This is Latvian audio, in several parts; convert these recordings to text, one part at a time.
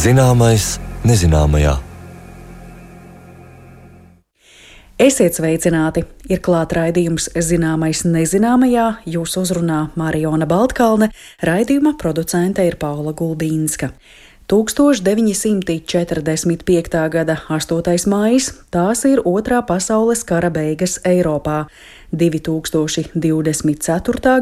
Zināmais nezināmajā. Esiet sveicināti! Ir klāt raidījums Zināmais nezināmajā, jūs uzrunā Mariona Baltkalne, raidījuma producente ir Paula Gulbīnska. 1945. gada 8. maijs, tās ir Otrā pasaules kara beigas Eiropā. 2024.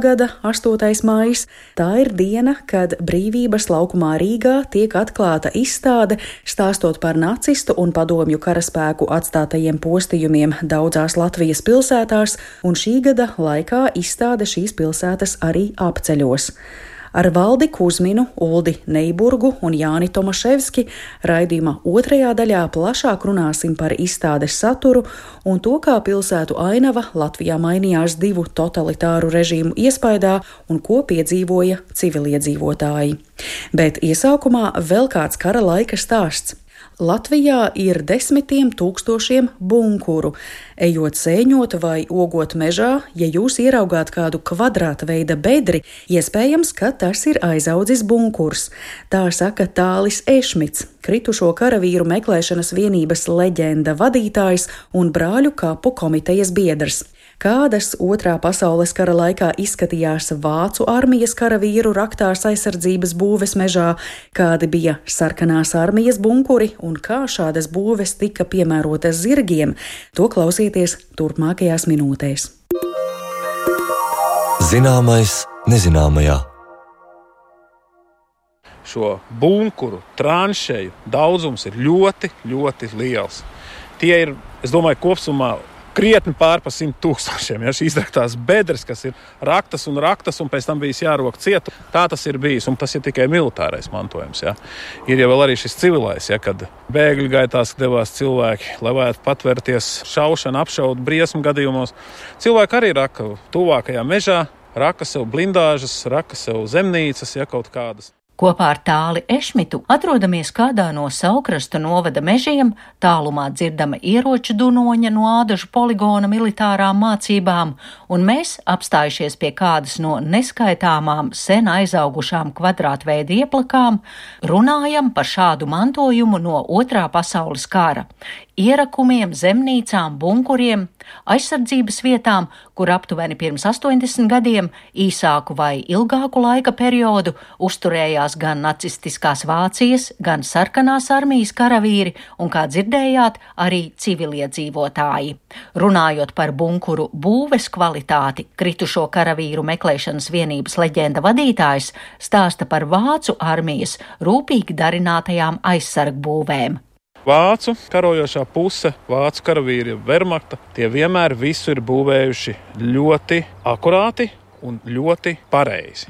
gada 8. maijs, tā ir diena, kad Brīvības laukumā Rīgā tiek atklāta izstāde, stāstot par nacistu un padomju karaspēku atstātajiem postījumiem daudzās Latvijas pilsētās, un šī gada laikā izstāde šīs pilsētas arī apceļos. Ar Valdi Kuzminu, Uldi Neiburgu un Jāni Tomaševski raidījuma otrajā daļā plašāk runāsim par izstādes saturu un to, kā pilsētu ainava Latvijā mainījās divu totalitāru režīmu iespaidā un ko piedzīvoja civiliedzīvotāji. Bet iesākumā vēl kāds kara laika stāsts. Latvijā ir 10 000 bunkuru. Ejot sēņot vai ogot mežā, ja jūs ieraugāt kādu kvadrāta veida bedri, iespējams, ka tas ir aizaudzis bunkurs. Tā saka Tālis Ešmits, kritušo karavīru meklēšanas vienības leģenda vadītājs un brāļu kapu komitejas biedrs. Kādas Otrā pasaules kara laikā izskatījās Vācu armijas karavīru raktās aizsardzības būves mežā, kādi bija sarkanās armijas bunkuri un kā šādas būves tika piemērotas zirgiem, to klausieties turpmākajās minūtēs. Zināmais nezināmajā. Šo bunkuru, tranšeju daudzums ir ļoti, ļoti liels. Tie ir, es domāju, kopsumā krietni pār pa 100 000. Ja, šīs raktās bedres, kas ir raktas un pēc tam bijis jārok cietu. Tā tas ir bijis, un tas ir tikai militārais mantojums. Ja. Ir jau vēl arī šis civilais, ja, kad bēgļu gaitās devās cilvēki, lai varētu patvērties šaušanu, apšaudu briesmu gadījumos. Cilvēki arī raka tuvākajā mežā, raka sev blindāžas, raka sev zemnīcas, ja kaut kādas. Kopā ar Tāli Ešmitu atrodamies kādā no Saukrasta novada mežiem, tālumā dzirdama ieroču dunoņa no Ādažu poligona militārām mācībām, un mēs, apstājušies pie kādas no neskaitāmām sen aizaugušām kvadrātveida ieplakām, runājam par šādu mantojumu no Otrā pasaules kara. Ierakumiem, zemnīcām, bunkuriem, aizsardzības vietām, kur aptuveni pirms 80 gadiem, īsāku vai ilgāku laika periodu, uzturējās gan nacistiskās Vācijas, gan sarkanās armijas karavīri un, kā dzirdējāt, arī civiliedzīvotāji. Runājot par bunkuru būves kvalitāti, kritušo karavīru meklēšanas vienības leģenda vadītājs stāsta par Vācu armijas rūpīgi darinātajām aizsargbūvēm. Vācu karojošā puse, vācu karavīri Wehrmachta, tie vienmēr visu ir būvējuši ļoti akurāti un ļoti pareizi.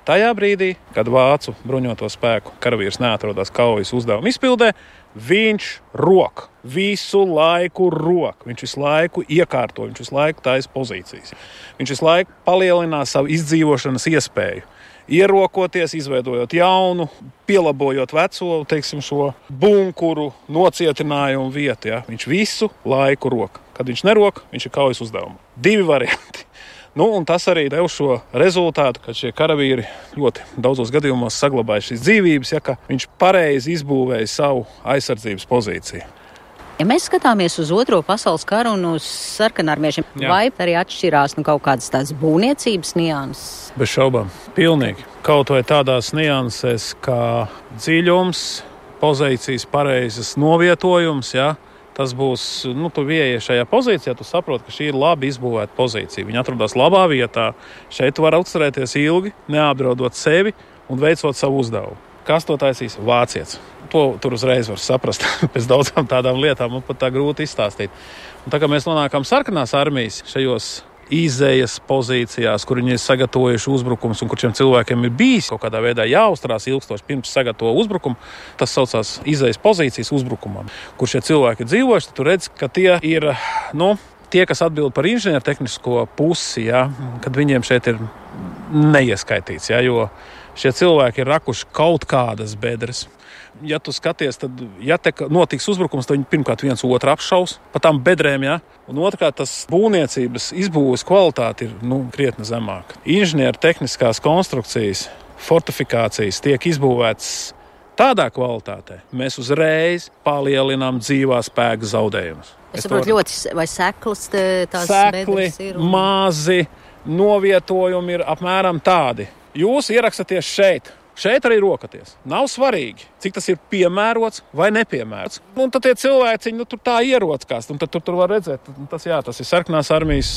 Tajā brīdī, kad vācu bruņoto spēku karavīrs neatrodas kaujas uzdevuma izpildē, viņš rok, visu laiku rok, viņš visu laiku iekārto, viņš visu laiku taisa pozīcijas. Viņš visu laiku palielinās savu izdzīvošanas iespēju. Ierokoties, izveidojot jaunu, pielabojot veco, teiksim, šo bunkuru nocietinājumu vietu. Ja? Viņš visu laiku rok. Kad viņš nerok, viņš ir kaujas uzdevuma. 2 varianti. Un tas arī dev šo rezultātu, ka šie karavīri ļoti daudzos gadījumos saglabāja šīs dzīvības, ja, ka viņš pareizi izbūvēja savu aizsardzības pozīciju. Ja mēs skatāmies uz Otro pasaules karu un uz sarkanarmiešiem, vai arī atšķirās kaut kādas tādas būvniecības nianses? Bez šaubām, pilnīgi. Kaut vai tādās niansēs kā dziļums, pozīcijas pareizes novietojums, ja, tas būs, tu ieeji šajā pozīcijā, tu saproti, ka šī ir labi izbūvēta pozīcija. Viņa atrodas labā vietā, šeit tu vari uzturēties ilgi, neapdraudot sevi un veicot savu uzdevumu. Kas to taisīs? Vācietis. To tur uzreiz var saprast. Pēc daudzām tādām lietām man pat tā grūti izstāstīt. Un tā kā mēs nonākam sarkanās armijas šajos izējas pozīcijās, kur viņi ir sagatavojuši uzbrukums un kur šiem cilvēkiem ir bijis kaut kādā veidā jāuzturās ilgstoši pirms sagatavo uzbrukumu, tas saucās izējas pozīcijas uzbrukumam, kur šie cilvēki ir dzīvojuši, tad tu redz, ka tie ir, tie, kas atbild par inženiertehnisko pusi, ja, kad viņiem šeit ir neieskaitīts, ja, jo šie cilvēki ir rakuši kaut kādas bedres. Ja tu skaties, tad, ja te notiks uzbrukums, tad viņi pirmkārt viens otru apšaus pa tām bedrēm, ja? Un otrkārt, tas būvniecības izbūves kvalitāte ir krietni zemāka. Inženieru tehniskās konstrukcijas, fortifikācijas tiek izbūvētas tādā kvalitātē mēs uzreiz palielinām dzīvā spēka zaudējumus. Es saprotu ļoti, vai seklas tās bedres ir? Mazi novietojumi ir apmēram tādi. Jūs ierakstaties šeit. Šeit arī rokaties. Nav svarīgi, cik tas ir piemērots vai nepiemērots. Un tad tie cilvēciņi, tur tā ierockās, un tad tur var redzēt, tas ir sarkanās armijas,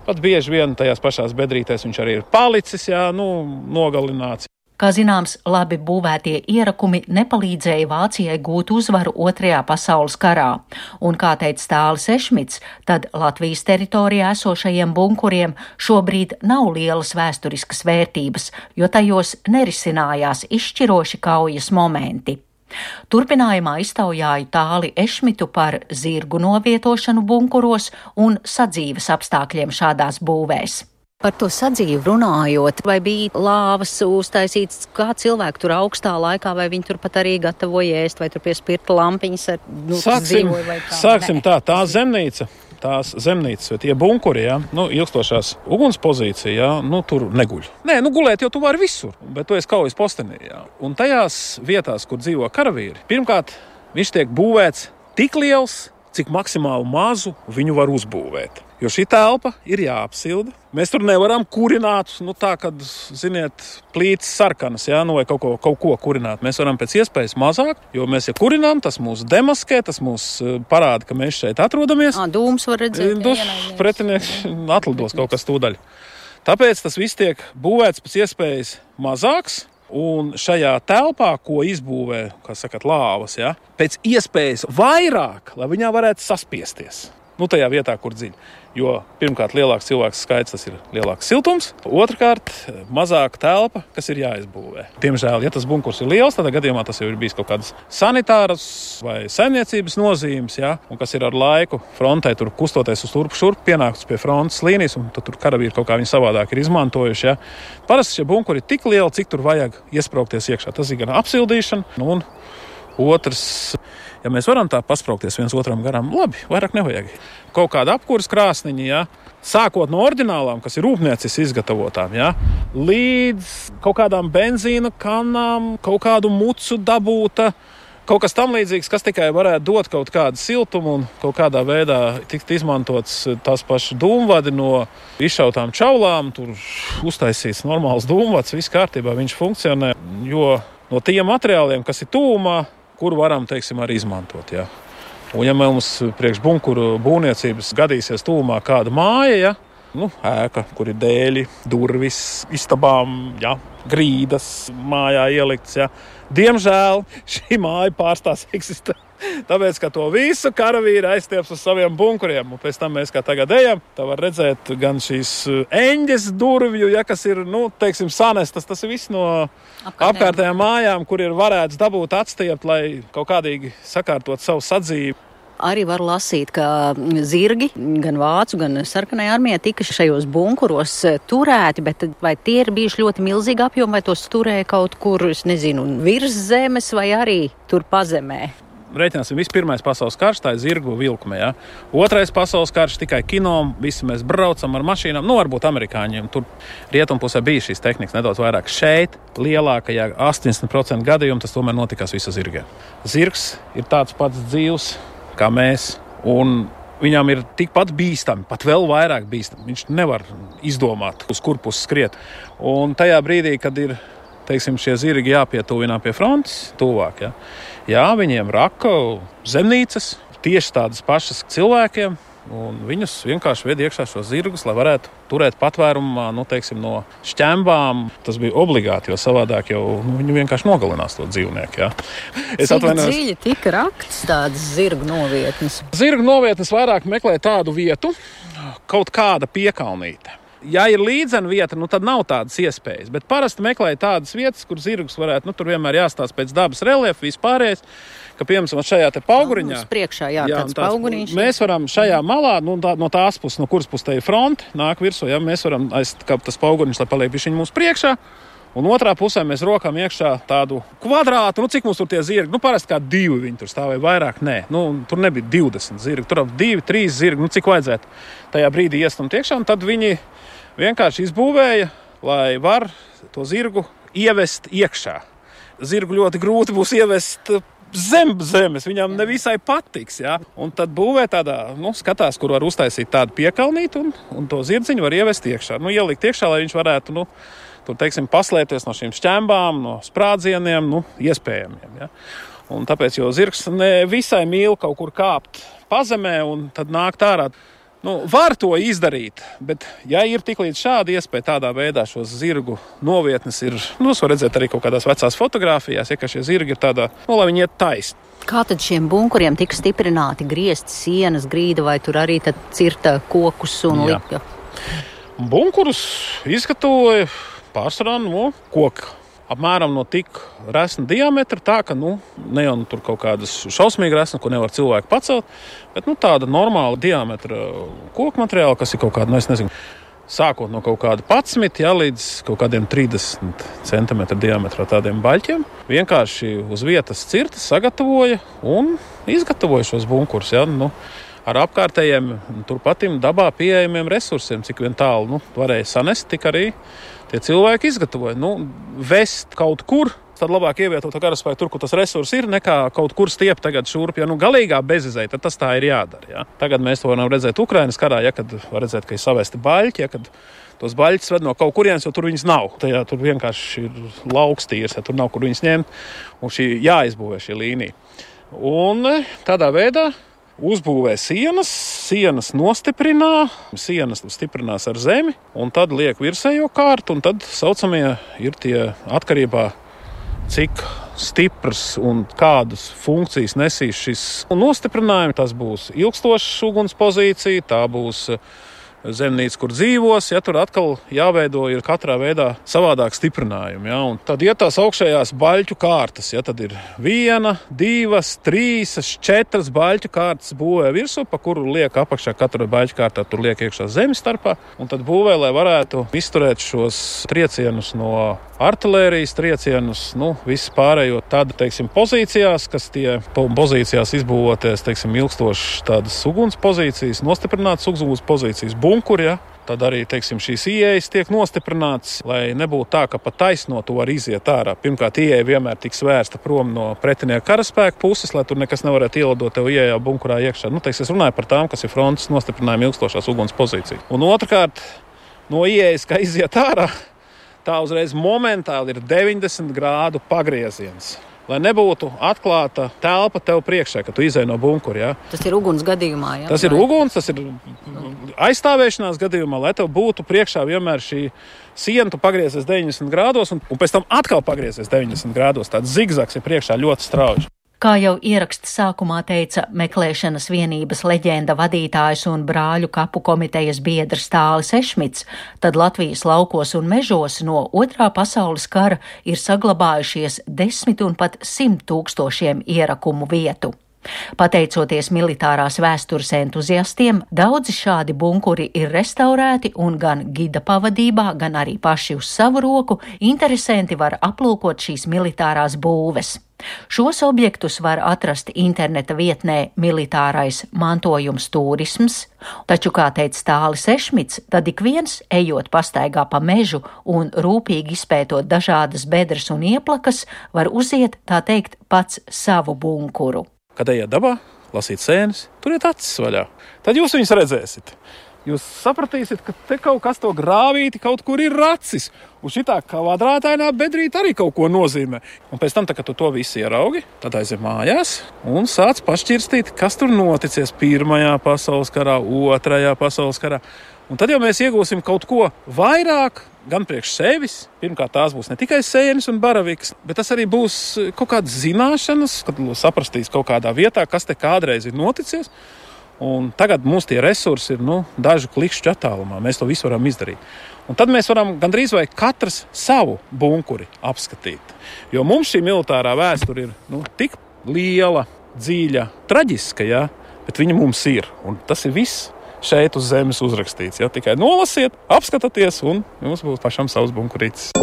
pat bieži vien tajās pašās bedrītēs viņš arī ir palicis, nogalināts. Kā zināms, labi būvētie ierakumi nepalīdzēja Vācijai gūt uzvaru Otrajā pasaules karā, un, kā teica Stālis Ešmits, tad Latvijas teritorijā esošajiem bunkuriem šobrīd nav lielas vēsturiskas vērtības, jo tajos nerisinājās izšķiroši kaujas momenti. Turpinājumā iztaujāju Tāli Ešmitu par zirgu novietošanu bunkuros un sadzīves apstākļiem šādās būvēs. Par to sadzīvi runājot, vai bija lāvas uztaisītas, kā cilvēki tur augstā laikā, vai viņi tur pat arī gatavoja ēst, vai tur pie spirta lampiņas ar dzīvoja vai kā? Sāksim tā zemnīca. Tās zemnīcas, vai tie bunkuri, ilgstošās uguns pozīcija, tur neguļ. Gulēt jau tu vari visur, bet tu esi kaujas postenī. Un tajās vietās, kur dzīvo karavīri, pirmkārt, viņš tiek būvēts tik liels, cik maksimāli mazu viņu var uzbūvēt. Jo šī telpa ir jāapsilda. Mēs tur nevaram kurināt, kad, plīts sarkanas, vai kaut ko kurināt. Mēs varam pēc iespējas mazāk, jo mēs, ja kurinām, tas mūs demaskē, tas mūs parāda, ka mēs šeit atrodamies. Dūms var redzēt. Pretinieks atlidos kaut kas tūdaļ. Tāpēc tas viss tiek būvēts pēc iespējas mazāks. Un šajā telpā, ko izbūvē, lāvas, pēc iespējas vairāk, lai viņā varētu saspiesties. Tajā vietā, kur dziļi. Jo pirmkārt, lielāks cilvēks skaits, tas ir lielāks siltums. Otrkārt, mazāka telpa, kas ir jāizbūvē. Diemžēl, ja tas bunkurs ir liels, tādā gadījumā tas jau ir bijis kaut kādas sanitāras vai saimniecības nozīmes, un kas ir ar laiku frontē tur kustoties uz turpu šurp, pienākts pie frontes līnijas, un tur karavīri kaut kā viņi savādāk ir izmantojuši. Parasti šie bunkuri ir tik lieli, cik tur vajag iespraukties iekšā. Tas ir gan apsildīšana, un otrs, ja mēs varam tā paspraukties viens otram garām, labi, vairāk nevajag. Kaut kāda apkūras krāsniņa, sākot no oriģinālām, kas ir rūpniecis izgatavotām, līdz kaut kādām benzīna kanām, kaut kādu mucu dabūta, kaut kas tam līdzīgs, kas tikai varētu dot kaut kādu siltumu un kaut kādā veidā tikt izmantots tās pašas dūmvadi no izšautām čaulām, tur uztaisīts normāls dūmvads, viss kārtībā, viņš funkcionē, jo no tiem materiāliem, kas ir tūmā, kuru varam, arī izmantot. Un ja mums priekš bunkuru būvniecības gadīsies tūmā kāda māja, ēka, kur ir dēļi, durvis, istabām, grīdas mājā ielikts, diemžēl šī māja pārstās eksistēt. Tāpēc, ka to visu karavīri aizstieps uz saviem bunkuriem. Un pēc tam mēs, kā tagad ejam, tā var redzēt gan šīs eņģes durvju, kas ir, sanestas. Tas ir viss no apkārtējām mājām, kur ir varēts dabūt atstiept, lai kaut kādīgi sakārtot savu sadzīvi. Arī var lasīt, ka zirgi, gan vācu, gan sarkanajā armijā tika šajos bunkuros turēti, bet vai tie ir bijuši ļoti milzīgi apjomi, vai tos turēja kaut kur, virs zemes vai arī tur pazemē? Rēķināsim, Pirmais pasaules karš, tā ir zirgu vilkme. Otrais pasaules karš tikai kino, visi mēs braucam ar mašīnām. Varbūt amerikāņiem tur rietumpusē bija šīs tehnikas nedaudz vairāk. Šeit lielākajā 80% gadījumu tas tomēr notikās visa zirgiem. Zirgs ir tāds pats dzīvs kā mēs, un viņam ir tikpat bīstami, pat vēl vairāk bīstami. Viņš nevar izdomāt, uz kur pusi skriet. Un tajā brīdī, kad ir šie zirgi jāpietuvinā pie frontes, tuvāk, viņiem raka zemnīcas, tieši tādas pašas cilvēkiem, un viņus vienkārši ved iekšā šos zirgus, lai varētu turēt patvērumā, no šķembām. Tas bija obligāti, jo savādāk jau viņi vienkārši nogalinās to dzīvnieku. Cik dziļi tika rakts tādas zirgu novietnes? Zirgu novietnes vairāk meklē tādu vietu, kaut kāda piekalnīte. Ja ir līdzena vieta, tad nav tādas iespējas, bet parasti meklēja tādas vietas, kur zirgus varētu, tur vienmēr jāstāsta pēc dabas reliefa, vispārējais, ka, piemēram, šajā te pauguriņā. Uz priekšā, tāds pauguriņš. Mēs varam šajā malā, no tās puses, no kuras puses te ir fronte, nāk virsū, mēs varam aizkāpt tas pauguriņš, lai paliek bišķiņ mums priekšā. Un otrā pusē mēs rokam iekšā tādu kvadrātu, cik mums tur tie zirgi, parasti kā 2 viņi tur stāvēja, vairāk nē. Tur nebija 20 zirgi, tur 2, 3 zirgi, cik vajadzētu tajā brīdī iestumt iekšā, un tad viņi vienkārši izbūvēja, lai var to zirgu ievest iekšā. zirgu ļoti grūti būs ievest zem zemes, viņam nevisai patiks, jā. Un tad būvē tādā, skatās, kur var uztaisīt tādu piekalnīti un to zirdziņu var ievest iekšā. Ielikt iekšā, lai viņš varētu, tur, teiksim, paslēpties no šīm šķembām, no sprādzieniem, iespējamiem, jā. Un tāpēc, jo zirgs ne visai mīl kaut kur kāpt pazemē un tad nākt ārā. Var to izdarīt, bet ja ir tik līdz šāda iespēja tādā veidā šos zirgu novietnes ir, es varu redzēt arī kaut kādās vecās fotogrāfijās, ka šie zirgi ir tādā, lai viņi iet taisni. Kā tad šiem bunkuriem tika stiprināti griezti sienas, grīda vai tur arī tad cirta kokus un lika? Bunkurus izgatavoja pārsvarā koku. Apmēram no tik resna diametra, tā ka, ne jau tur kaut kādas šausmīgi resna, ko nevar cilvēki pacelt, bet, tāda normāla diametra koku materiāla, kas ir kaut kāda, es nezinu, sākot no kaut kāda 11, līdz kaut kādiem 30 centimetru diametrā tādiem baļķiem. Vienkārši uz vietas cirtas sagatavoja un izgatavoja šos bunkurus, ar apkārtējiem, turpatim dabā pieejamiem resursiem, cik vien tālu, varēja sanest, tik arī tie cilvēki izgatavoja. Vest kaut kur, tad labāk ievietot to karaspēku tur, kur tas resurs ir, nekā kaut kur stiept tagad šurp. Ja galīgā bezizēja, tad tas tā ir jādara. Ja? Tagad mēs to varam redzēt Ukrainas karā, kad var redzēt, ka ir savesti baļķi, kad tos baļķus ved no kaut kurienes, jo tur viņas nav. Tur vienkārši ir lauks tīrs, tur nav kur viņas ņemt, un jāizbūvē šī līnija. Un tādā veidā uzbūvē sienas nostiprinā, sienas stiprinās ar zemi, un tad liek virsējo kārtu, un tad saucamie ir tie atkarībā, cik stiprs un kādas funkcijas nesīs šis nostiprinājums. Tas būs ilgstošs uguns pozīcija, tā būs zemnīca, kur dzīvos, tur atkal jāveido ir katrā veidā savādāk stiprinājumi. Un tad tās augšējās baļķu kārtas, tad ir 1, 2, 3, 4 baļķu kārtas būvē virsū, pa kuru liek apakšā katra baļķu kārtā, tur liek iekšā zemes starpā, un tad būvē, lai varētu izturēt šos triecienus no artilērijas triecienus, viss pārējo tādu, pozīcijās, kas tie pozīcijās izbūvoties, ilgstošas tādas uguns pozīcijas, nostiprinātas uguns pozīcijas, bunkuri, tad arī, šīs ieejas tiek nostiprinātas, lai nebūtu tā, ka pa taisno to var iziet ārā. Pirmkārt, ieeja vienmēr tiks vērsta prom no pretinieka karaspēka puses, lai tur nekas nevarētu ielidot tev ieejā bunkurā iekšā. Es runāju par tām, kas ir frontes nostiprinājuma ilgstošās uguns pozīcijas. Un otrkārt, no ieejas, kā iziet ārā, tā uzreiz momentāli ir 90 grādu pagrieziens. Lai nebūtu atklāta telpa tev priekšā, kad tu izej no bunkura. Tas ir uguns gadījumā, jā? Tas ir uguns, tas ir aizstāvēšanās gadījumā, lai tev būtu priekšā vienmēr šī siena, tu pagriezies 90 grādos un pēc tam atkal pagriezies 90 grādos. Tāds zigzags ir priekšā ļoti strauji. Kā jau ieraksta sākumā teica meklēšanas vienības leģenda vadītājs un brāļu kapu komitejas biedrs Tālis Ešmits, tad Latvijas laukos un mežos no Otrā pasaules kara ir saglabājušies 10 un pat 100 tūkstošiem ierakumu vietu. Pateicoties militārās vēstures entuziastiem, daudzi šādi bunkuri ir restaurēti un gan gida pavadībā, gan arī paši uz savu roku interesanti var aplūkot šīs militārās būves. Šos objektus var atrast interneta vietnē Militārais mantojums turisms, taču, kā teica Tālis Ešmits, tad ik viens, ejot pastaigā pa mežu un rūpīgi izpētot dažādas bedres un ieplakas, var uziet, tā teikt, pats savu bunkuru. Kad ejiet dabā, lasīt sēnes, turiet acis vaļā. Tad jūs viņus redzēsiet. Jūs sapratīsiet, ka te kaut kas to grāvīti kaut kur ir racis. Un šitā kvadrātainā bedrīte arī kaut ko nozīmē. Un pēc tam, kad tu to visu ieraugi, tad aiziet mājās un sāc pašķirstīt, kas tur noticies 1. pasaules karā, 2. pasaules karā. Un tad jau mēs iegūsim kaut ko vairāk, gan priekš sevis. Pirmkārt, tās būs ne tikai sēnes un baraviks, bet tas arī būs kaut kādas zināšanas, kad saprastīs kaut kādā vietā, kas te kādreiz ir noticies. Un tagad mums tie resursi ir dažu klikšķu attālumā. Mēs to visu varam izdarīt. Un tad mēs varam gandrīz vai katrs savu bunkuri apskatīt. Jo mums šī militārā vēsture ir tik liela, dziļa, traģiska, bet viņa mums ir. Un tas ir viss šeit uz zemes uzrakstīts. Tikai nolasiet, apskatieties un jums būs pašam savs bunkurītis.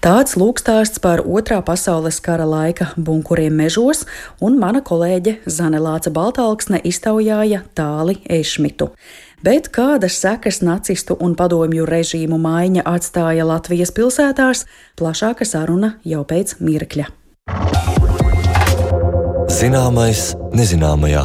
Tāds lūkstāsts par Otrā pasaules kara laika bunkuriem mežos, un mana kolēģe Zane Lāca Baltalksne iztaujāja Tāli Ešmitu. Bet kādas sekas nacistu un padomju režīmu maiņa atstāja Latvijas pilsētās, plašāka saruna jau pēc mirkļa. Zināmais nezināmajā.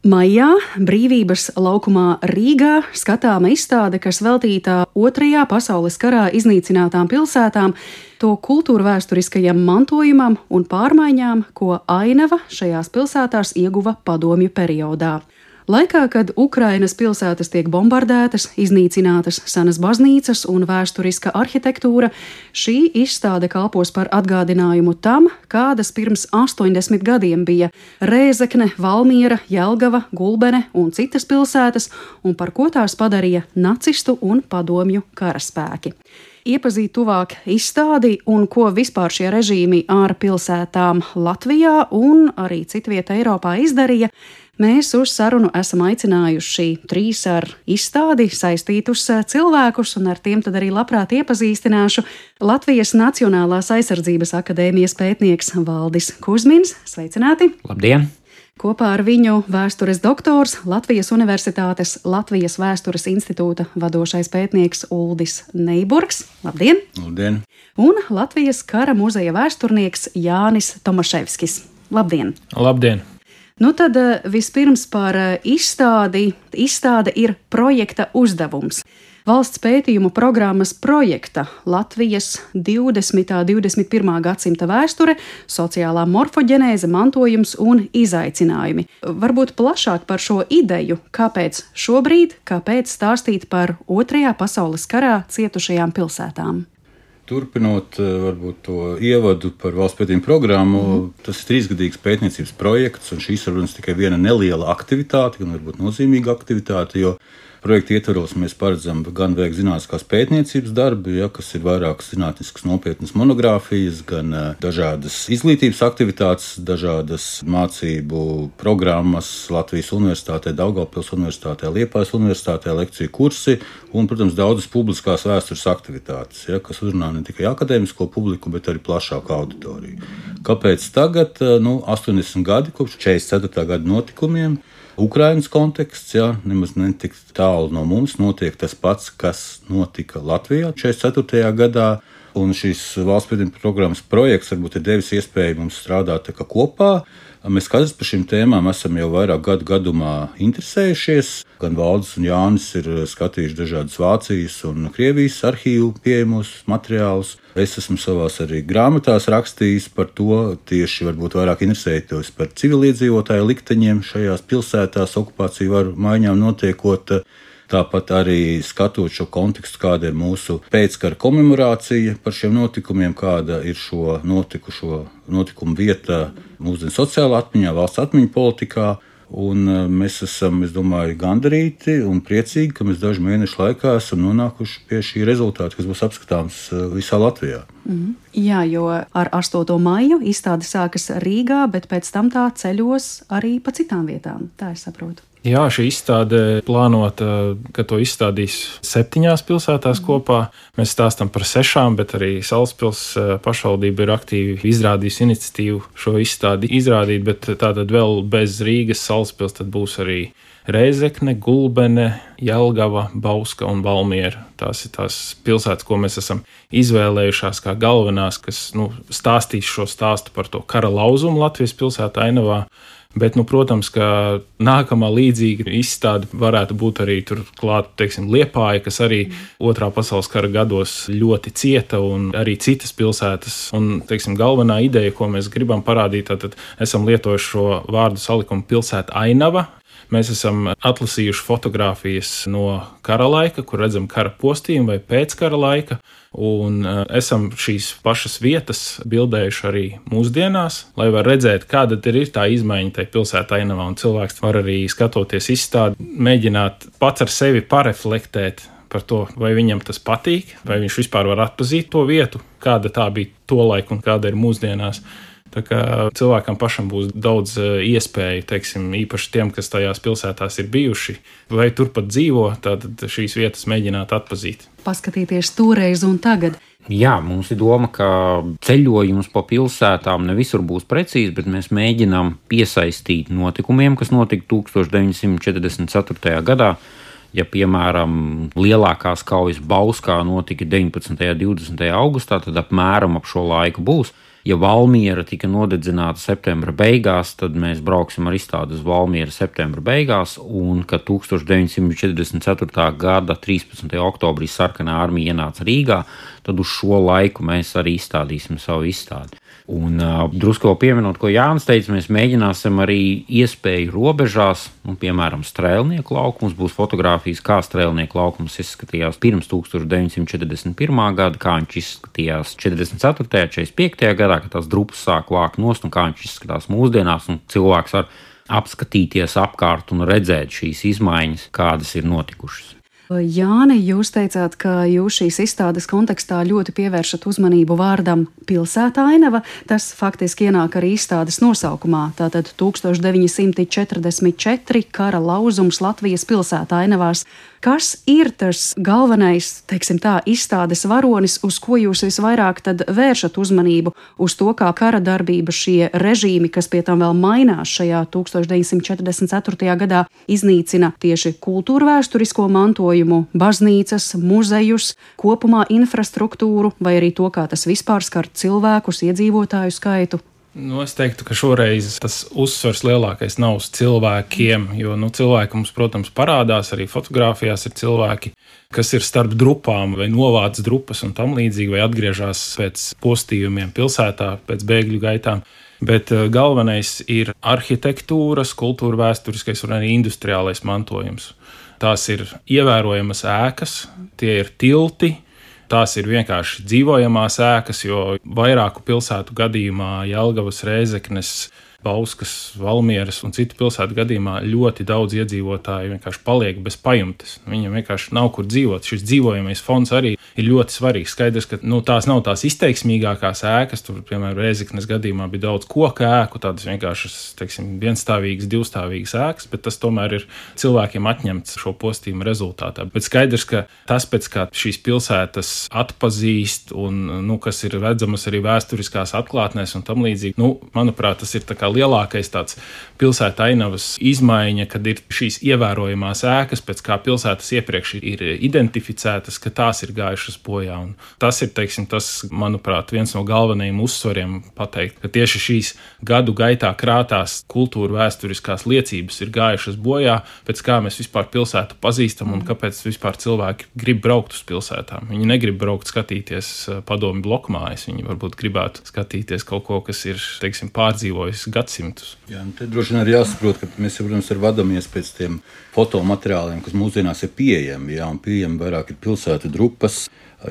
Maijā Brīvības laukumā Rīgā skatāma izstāde, kas veltīta Otrajā pasaules karā iznīcinātām pilsētām, to kultūrvēsturiskajam mantojumam un pārmaiņām, ko ainava šajās pilsētās ieguva padomju periodā. Laikā, kad Ukrainas pilsētas tiek bombardētas, iznīcinātas senas baznīcas un vēsturiska arhitektūra, šī izstāde kalpos par atgādinājumu tam, kādas pirms 80 gadiem bija Rēzekne, Valmiera, Jelgava, Gulbene un citas pilsētas, un par ko tās padarīja nacistu un padomju karaspēki. Iepazīt tuvāk izstādi un ko vispār šie režīmi ar pilsētām Latvijā un arī citvieta Eiropā izdarīja, mēs uz sarunu esam aicinājuši 3 ar izstādi saistītus cilvēkus, un ar tiem tad arī labprāt iepazīstināšu Latvijas Nacionālās aizsardzības akadēmijas pētnieks Valdis Kuzmins. Sveicināti! Labdien! Kopā ar viņu vēstures doktors, Latvijas Universitātes Latvijas Vēstures institūta vadošais pētnieks Uldis Neiburgs. Labdien! Labdien! Un Latvijas kara muzeja vēsturnieks Jānis Tomaševskis. Labdien! Labdien! Nu tad vispirms par izstādi. Izstāde ir projekta uzdevums. Valsts pētījumu programmas projekta Latvijas 20. un 21. gadsimta vēsture, sociālā morfoģenēze, mantojums un izaicinājumi. Varbūt plašāk par šo ideju, kāpēc šobrīd, kāpēc stāstīt par Otrajā pasaules karā cietušajām pilsētām. Turpinot varbūt to ievadu par valsts pētījumu programmu, tas ir 3-gadīgs pētniecības projekts, un šīs ir tikai viena neliela aktivitāte, gan varbūt nozīmīga aktivitāte, jo projekta ietvaros mēs paredzam gan veikt zinātniskās pētniecības darbi, kas ir vairākas zinātniskas nopietnas monogrāfijas, gan dažādas izglītības aktivitātes, dažādas mācību programmas Latvijas Universitātē, Daugavpils Universitātē, Liepājas Universitātē, lekciju kursi un, protams, daudzas publiskās vēstures aktivitātes, kas uzrunā ne tikai akadēmisko publiku, bet arī plašāku auditoriju. Kāpēc tagad? 80 gadi kopš 44. gada notikumiem. Ukrainas konteksts, nemaz netik tālu no mums, notiek tas pats, kas notika Latvijā 44. gadā, un šīs valsts pētījuma programmas projekts varbūt ir devis iespēju mums strādāt kopā. Mēs katrs par šīm tēmām esam jau vairāk gadu gadumā interesējušies. Gan Valdis un Jānis ir skatījuši dažādas Vācijas un Krievijas arhīvu pieejamos materiālus. Es esmu savās arī grāmatās rakstījis par to, tieši varbūt vairāk interesējoties par civiliedzīvotāju likteņiem šajās pilsētās, okupāciju varu maiņām notiekot. Tāpat arī skatot šo kontekstu, kāda ir mūsu pēckara komemorācija par šiem notikumiem, kāda ir šo notikumu vieta mūsdienu sociālā atmiņā, valsts atmiņu politikā. Un mēs esam, es domāju, gandarīti un priecīgi, ka mēs dažu mēnešu laikā esam nonākuši pie šī rezultāta, kas būs apskatāms visā Latvijā. Jā, jo ar 8. maiju izstāde sākas Rīgā, bet pēc tam tā ceļos arī pa citām vietām, tā es saprotu. Jā, šī izstāde plānota, ka to izstādīs 7 pilsētās kopā. Mēs stāstam par 6, bet arī Salaspils pašvaldība ir aktīvi izrādījusi iniciatīvu šo izstādi izrādīt, bet tātad vēl bez Rīgas Salaspils tad būs arī Rēzekne, Gulbene, Jelgava, Bauska un Valmiera. Tās ir tās pilsētas, ko mēs esam izvēlējušās kā galvenās, kas stāstīs šo stāstu par to kara lauzumu Latvijas pilsētā ainavā. Bet, protams, ka nākamā līdzīga izstāde varētu būt arī turklāt, Liepāja, kas arī Otrā pasaules kara gados ļoti cieta, un arī citas pilsētas. Un, galvenā ideja, ko mēs gribam parādīt, tad esam lietojuši šo vārdu salikumu pilsēta ainava. Mēs esam atlasījuši fotogrāfijas no kara laika, kur redzam kara postījumu vai pēckara laika, un esam šīs pašas vietas bildējuši arī mūsdienās, lai var redzēt, kāda ir tā izmaiņa tajā pilsētā ainavā, un cilvēks var arī skatoties izstādi, mēģināt pats ar sevi pareflektēt par to, vai viņam tas patīk, vai viņš vispār var atpazīt to vietu, kāda tā bija tolaik un kāda ir mūsdienās. Tā kā cilvēkam pašam būs daudz iespēju, īpaši tiem, kas tajās pilsētās ir bijuši vai turpat dzīvo, tad šīs vietas mēģināt atpazīt. Paskatīties toreiz un tagad. Jā, mums ir doma, ka ceļojums pa pilsētām ne visur būs precīzi, bet mēs mēģinām piesaistīt notikumiem, kas notika 1944. gadā. Ja, piemēram, lielākās kaujas Bauskā notika 19. un 20. augustā, tad apmēram ap šo laiku būs. Ja Valmiera tika nodedzināta septembra beigās, tad mēs brauksim ar izstādi uz Valmieru septembra beigās, un kad 1944. gada 13. oktobrī Sarkanā armija ienāca Rīgā, tad uz šo laiku mēs arī izstādīsim savu izstādi. Un drusku vēl pieminot, ko Jānis teica, mēs mēģināsim arī iespēju robežās, piemēram, Strēlnieku laukums, būs fotogrāfijas, kā Strēlnieku laukums izskatījās pirms 1941. gada, kā viņš izskatījās 44. 45. gadā, kad tās drupas sāk vākt nost, un kā viņš izskatās mūsdienās, un cilvēks var apskatīties apkārt un redzēt šīs izmaiņas, kādas ir notikušas. Jāni, jūs teicāt, ka jūs šīs izstādes kontekstā ļoti pievēršat uzmanību vārdam pilsētainava. Tas faktiski ienāk arī izstādes nosaukumā. Tātad 1944 kara lauzums Latvijas pilsētainavās. Kas ir tas galvenais, teiksim tā, izstādes varonis, uz ko jūs visvairāk tad vēršat uzmanību? Uz to, kā kara darbība, šie režīmi, kas pie tam vēl mainās šajā 1944. gadā, iznīcina tieši kultūrvēsturisko mantojumu, baznīcas, muzejus, kopumā infrastruktūru, vai arī to, kā tas vispār skar cilvēkus, iedzīvotāju skaitu? Es teiktu, ka šoreiz tas uzsvars lielākais nav uz cilvēkiem, jo cilvēki mums, protams, parādās, arī fotografijās ir cilvēki, kas ir starp drupām vai novāc drupas un tam līdzīgi, vai atgriežas pēc postījumiem pilsētā, pēc bēgļu gaitām. Bet galvenais ir arhitektūras, kultūra vēsturiskais un arī industriālais mantojums. Tās ir ievērojamas ēkas, tie ir tilti. Tās ir vienkārši dzīvojamās ēkas, jo vairāku pilsētu gadījumā, Jelgavas, Rēzeknes, Bauskas, Valmieras un citu pilsētu gadījumā ļoti daudz iedzīvotāji vienkārši paliek bez pajumtes. Viņam vienkārši nav kur dzīvot. Šis dzīvojamais fonds arī ir ļoti svarīgs. Skaidrs, ka tās nav tās izteiksmīgākās ēkas. Tur, piemēram, Rēzeknes gadījumā bija daudz koka ēku, tādas vienkāršas, vienstāvīgas, divstāvīgas ēkas, bet tas tomēr ir cilvēkiem atņemts šo postījumu rezultātā. Bet skaidrs, ka tas, pēc kā šīs pilsētas atpazīst un, kas ir redzamas arī vēsturiskās atklātnēs un tam līdzīgi, manuprāt, tas ir tā kā lielākais tāds pilsēta ainavas izmaiņa, kad ir šīs ievērojamās ēkas, pēc kā pilsētas iepriekš ir identificētas, ka tās ir gājušas bojā. Un tas ir, tas, manuprāt, viens no galvenajiem uzsvariem pateikt, ka tieši šīs gadu gaitā krātās kultūra vēsturiskās liecības ir gājušas bojā, pēc kā mēs vispār pilsētu pazīstam un kāpēc vispār cilvēki grib braukt uz pilsētām. Viņi negrib braukt skatīties padomju blokmājas, viņi varbūt gribētu skatīties kaut ko, kas ir, pārdzīvojis gadsimtus. Jā, te droši vien arī jāsaprot, ka mēs, protams, vadāmies pēc tiem fotomateriāliem, kas mūsdienās ir pieejami, un pieejami vairāk ir pilsētu drupas,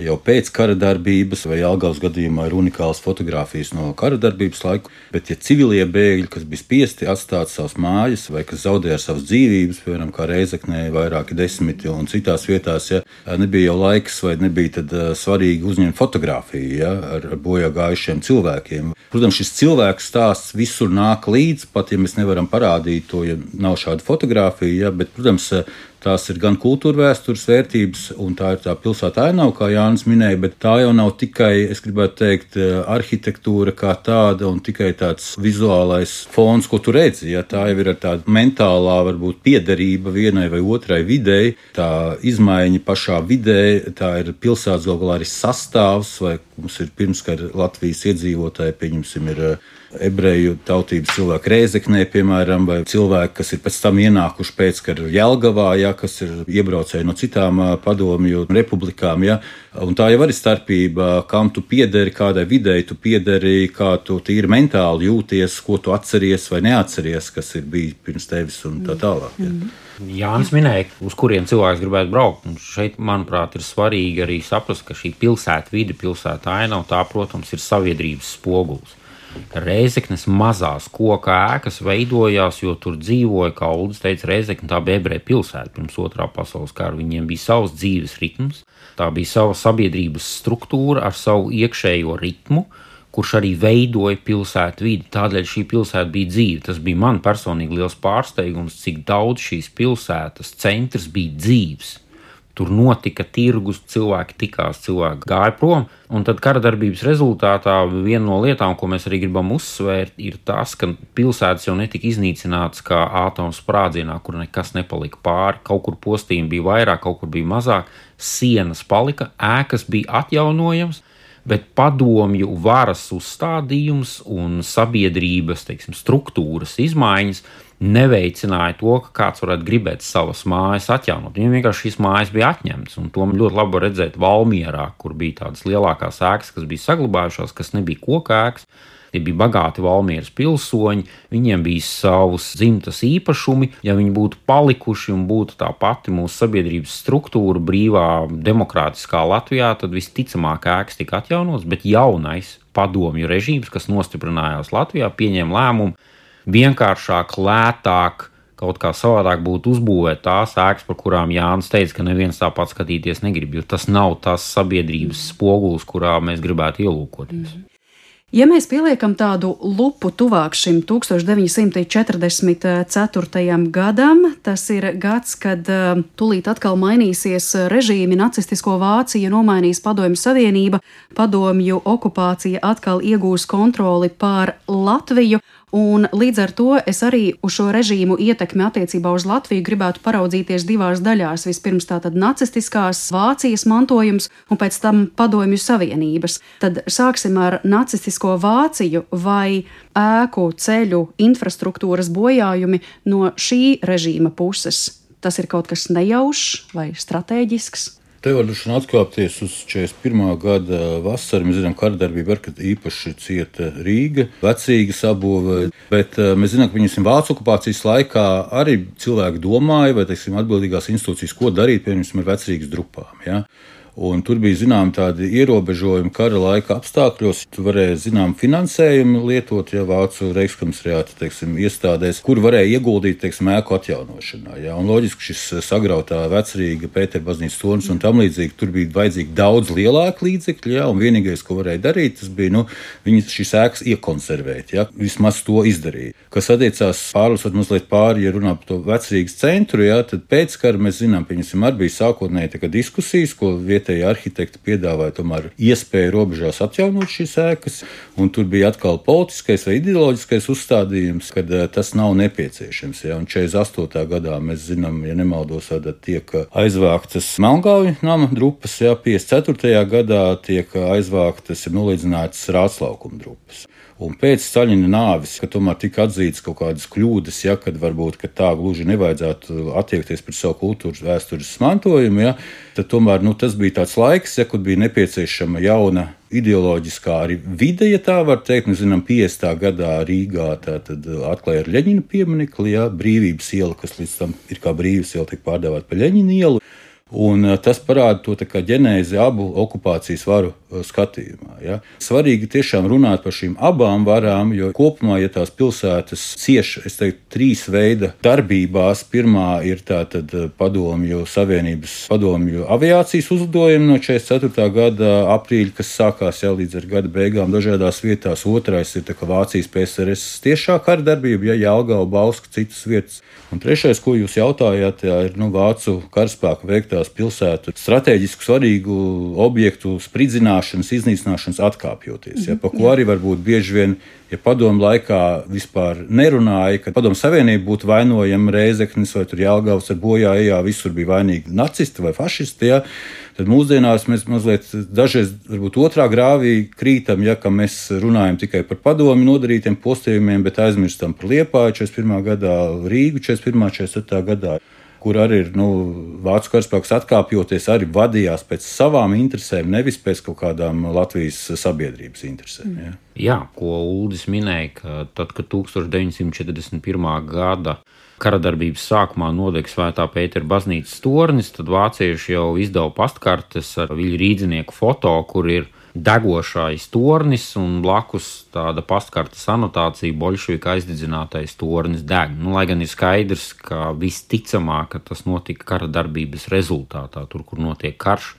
jau pēc kara darbības, vai Jelgavas gadījumā ir unikālas fotogrāfijas no kara darbības laiku, bet ja civilie bēgļi, kas bija spiesti atstāt savas mājas, vai kas zaudēja savas dzīvības, piemēram, kā Reizeknē, vairāki desmiti un citās vietās, nebija jau laiks, vai nebija tad svarīgi uzņemt fotogrāfiju, ar bojā gājušiem cilvēkiem. Protams, šis cilvēku stāsts visur nāk līdz, pat ja mēs nevaram parādīt to, ja nav šāda fotogrāfija, bet, protams, tās ir gan kultūra vēstures vērtības, un tā ir tā pilsēta ainava, kā Jānis minēja, bet tā jau nav tikai, es gribētu teikt, arhitektūra kā tāda un tikai tāds vizuālais fons, ko tu redzi. Ja? Tā jau ir ar tāda mentālā, varbūt piederība vienai vai otrai videi, tā izmaiņa pašā vidē, tā ir pilsētas galvā arī sastāvs, vai mums ir pirmskara Latvijas iedzīvotāji, pieņemsim, ir ebreju tautības cilvēki Rēzeknē, piemēram, vai cilvēki, kas ir pēc tam ienākuši pēckara Jelgavā, kas ir iebraucēji no citām padomju republikām. Un tā jau arī starpība, kam tu piederi, kādai videi tu piederi, kā tu tīri mentāli jūties, ko tu atceries vai neatceries, kas ir bijis pirms tevis un tā tālāk. Jānis minēja, uz kuriem cilvēks gribētu braukt. Un šeit, manuprāt, ir svarīgi arī saprast, ka šī pilsēta vide, pilsēta ainava, tā, protams, ir sabiedrības spogulis. Rēzeknes mazās koka ēkas veidojās, jo tur dzīvoja, kā Uldis teica, Rēzekne, tā bija ebreju pilsēta pirms otrā pasaules kara. Viņiem bija savs dzīves ritms, tā bija sava sabiedrības struktūra ar savu iekšējo ritmu, kurš arī veidoja pilsētu vidi. Tādēļ šī pilsēta bija dzīva. Tas bija man personīgi liels pārsteigums, cik daudz šīs pilsētas centrs bija dzīves. Tur notika tirgus, cilvēki tikās, cilvēki gāja prom. Un tad kara darbības rezultātā viena no lietām, ko mēs arī gribam uzsvērt, ir tas, ka pilsētas jau netika iznīcinātas kā ātoma sprādzienā, kur nekas nepalika pāri. Kaut kur postījumi bija vairāk, kaut kur bija mazāk. Sienas palika, ēkas bija atjaunojams, bet padomju varas uzstādījums un sabiedrības, struktūras izmaiņas neveicināja to, ka kāds varētu gribēt savas mājas atjaunot. Viņam vienkārši šīs mājas bija atņemtas, un to ļoti labi var redzēt Valmierā, kur bija tādas lielākās ēkas, kas bija saglabājušās, kas nebija koka ēkas. Tie bija bagāti Valmieras pilsoņi, viņiem bija savus dzimtas īpašumi. Ja viņi būtu palikuši un būtu tā pati mūsu sabiedrības struktūra brīvā, demokrātiskā Latvijā, tad visticamāk ēkas tika atjaunotas, bet jaunais padomju režīms, kas nostiprinājās Latvijā, pieņēma lēmumu vienkāršāk, lētāk, kaut kā savādāk būtu uzbūvēt tās ēkas, par kurām Jānis teica, ka neviens tāpat skatīties negrib, jo tas nav tas sabiedrības spogulis, kurā mēs gribētu ielūkoties. Ja mēs pieliekam tādu lupu tuvāk šim 1944. gadam, tas ir gads, kad tūlīt atkal mainīsies režīmi, nacistisko Vāciju nomainīs Padomju Savienība, padomju okupācija atkal iegūs kontroli pār Latviju, un līdz ar to es arī uz šo režīmu ietekmi attiecībā uz Latviju gribētu paraudzīties divās daļās. Vispirms tātad nacistiskās Vācijas mantojums un pēc tam Padomju Savienības. Tad sāksim ar nacistisko Vāciju, vai ēku, ceļu, infrastruktūras bojājumi no šī režīma puses. Tas ir kaut kas nejaušs vai stratēģisks? Te var atkāpties uz 41. gada vasaru. Mēs zinām, ka karadarbība var īpaši cieta Rīga, Vecrīgas sabūve, bet mēs zinām, ka Vācu okupācijas laikā arī cilvēki domāja, vai atbildīgās institūcijas, ko darīt, piemēram, ar Vecrīgas drupām. Ja? Un tur bija tādi ierobežojumi kara laika apstākļos. Tur varēja finansējumu lietot, ja Vācu Reichskomisariāta iestādēs, kur varēja ieguldīt ēku atjaunošanā. Ja? Un loģiski šis sagrautā Vecrīga, Pēterbaznīcas tornis un tam līdzīgi, tur bija vajadzīgi daudz lielāki līdzekļi, ja? Un vienīgais, ko varēja darīt, tas bija viņas šīs ēkas iekonservēt. Ja? Vismaz to izdarīja. Kas attiecās pārlasot mazliet pāri, ja runā par to Vecrīgas centru, ja? Tad pēc kara mēs zinām, arī bija sākotnēji diskusijas, ko vietēji arhitekti piedāvāja tomēr iespēju robežās atjaunot šīs ēkas, un tur bija atkal politiskais vai ideoloģiskais uzstādījums, kad tas nav nepieciešams. Ja? Un 48. gadā mēs zinām, ja nemaldos, tiek aizvāktas Melngāvju nama drupas, ja? 54. gadā tiek aizvāktas ir nolīdzinātas Rāclaukuma drupas. Un pēc Staļina nāves, kad tomēr tika atzītas kaut kādas kļūdas, ja, kad varbūt ka tā gluži nevajadzētu attiekties pret savu kultūras vēstures mantojumu, ja, tad tomēr tas bija tāds laiks, ja, kad bija nepieciešama jauna ideoloģiskā arī vide, ja tā var teikt. Mēs zinām, 50. gadā Rīgā atklāja ar Ļeņina pieminekli, ja, Brīvības iela, kas līdz tam ir kā Brīvības iela, tika pārdēvēta par Ļeņina ielu. Un tas parāda to ģenēzi abu okupācijas varu skatījumā. Ja. Svarīgi tiešām runāt par šīm abām varām, jo kopumā, ja tās pilsētas cieš, es teiktu, 3 veida darbībās. Pirmā ir tātad Padomju Savienības padomju aviācijas uzlidojumi no 44. gada aprīļa, kas sākās jau līdz ar gada beigām dažādās vietās. Otrais ir Vācijas PSRS tiešā kara darbība, ja Jelgava, Bauska, citas vietas. Un trešais, ko jūs jautājāt, ir Vācu karaspēka veiktās pilsētu strateģiski svarīgu objektu spridzināšanas, iznīcināšanas atkāpjoties. Ja, pa ko arī varbūt bieži vien, ja padomu laikā vispār nerunāja, ka Padomu Savienība būtu vainojama Rēzeknis vai Jelgavas ar bojā ejā, visur bija vainīgi nacisti vai fašisti. Ja, tad mūsdienās mēs mazliet dažreiz varbūt otrā grāvī krītam, ja, ka mēs runājam tikai par padomi nodarītiem postījumiem, bet aizmirstam par Liepāju 41. gadā, Rīgu 41. 47. gadā, kur arī ir Vācu karaspēks atkāpjoties, arī vadījās pēc savām interesēm, nevis pēc kaut kādām Latvijas sabiedrības interesēm. Ja. Jā, ko Uldis minēja, ka tad, kad 1941. gada karadarbības sākumā nodega Svētā Pētera baznīcas tornis, tad vācieši jau izdeva pastkartes ar Viļa Rīdzinieku foto, kur ir degošais tornis un blakus tāda pastkartes anotācija boļševika aizdedzinātais tornis deg. Lai gan ir skaidrs, ka visticamāk, ka tas notika kara darbības rezultātā, tur, kur notiek karš,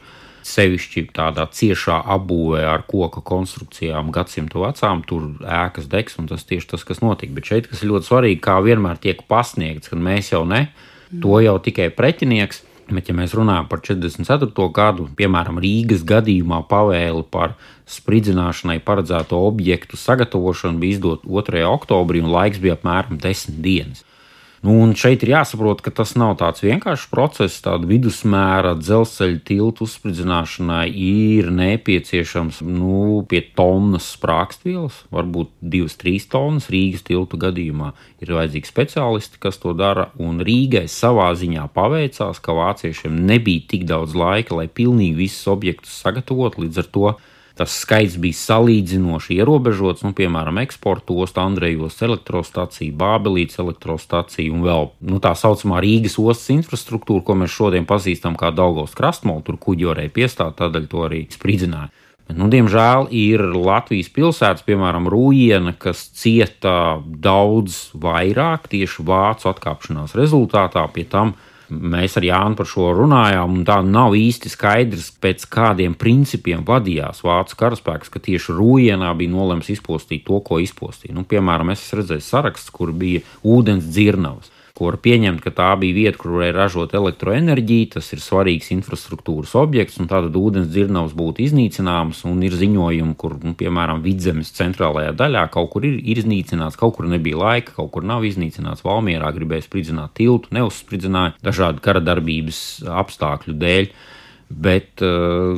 sevišķi tādā ciešā apbūvē ar koka konstrukcijām gadsimtu vecām, tur ēkas degs, un tas tieši tas, kas notika. Bet šeit, kas ir ļoti svarīgi, kā vienmēr tiek pasniegts, ka mēs jau ne, to jau tikai pretinieks. Bet, ja mēs runājam par 44. gadu, piemēram, Rīgas gadījumā pavēli par spridzināšanai paredzēto objektu sagatavošanu bija izdot 2. oktobrī un laiks bija apmēram 10 dienas. Un šeit ir jāsaprot, ka tas nav tāds vienkāršs process. Tāda vidusmēra dzelzceļa tiltu uzspridzināšanai ir nepieciešams pie tonnas sprāgstvielas, varbūt 2-3 tonnas. Rīgas tiltu gadījumā ir vajadzīgi speciālisti, kas to dara. Un Rīgai savā ziņā paveicās, ka vāciešiem nebija tik daudz laika, lai pilnīgi visus objektus sagatavotu. Līdz ar to tas skaits bija salīdzinoši ierobežots, piemēram, eksporta osta, Andrejas elektrostacija, Bābelītes elektrostacija un vēl tā saucamā Rīgas ostas infrastruktūra, ko mēs šodien pazīstam kā Daugavas krastmolu, tur kuģi varēja piestāt, tādēļ to arī spridzināja. Bet, diemžēl ir Latvijas pilsētas, piemēram, Rūjiena, kas cieta daudz vairāk tieši vācu atkāpšanās rezultātā. Pie tam mēs ar Jānu par šo runājām, un tā nav īsti skaidrs, pēc kādiem principiem vadījās vācu karaspēks, ka tieši Rūjienā bija nolemts izpostīt to, ko izpostīja. Piemēram, es redzēju saraksts, kur bija ūdens dzirnavas, ko var pieņemt, ka tā bija vieta, kur varēja ražot elektroenerģiju, tas ir svarīgs infrastruktūras objekts, un tātad ūdens dzirnavas būtu iznīcināmas, un ir ziņojumi, kur, piemēram, Vidzemes centrālajā daļā kaut kur ir iznīcināts, kaut kur nebija laika, kaut kur nav iznīcināts. Valmierā gribēja spridzināt tiltu, neuzspridzināja dažādu kara darbības apstākļu dēļ. Bet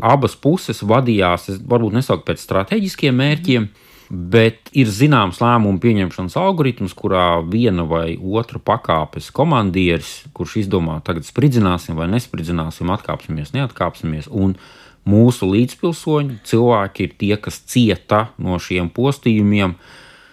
abas puses vadījās, varbūt nesaukt pēc strateģiskiem mērķiem, bet ir zināms lēmumu pieņemšanas algoritms, kurā viena vai otra pakāpes komandieris, kurš izdomā, tagad spridzināsim vai nespridzināsim, atkāpsimies, neatkāpsimies, un mūsu līdzpilsoņi, cilvēki ir tie, kas cieta no šiem postījumiem.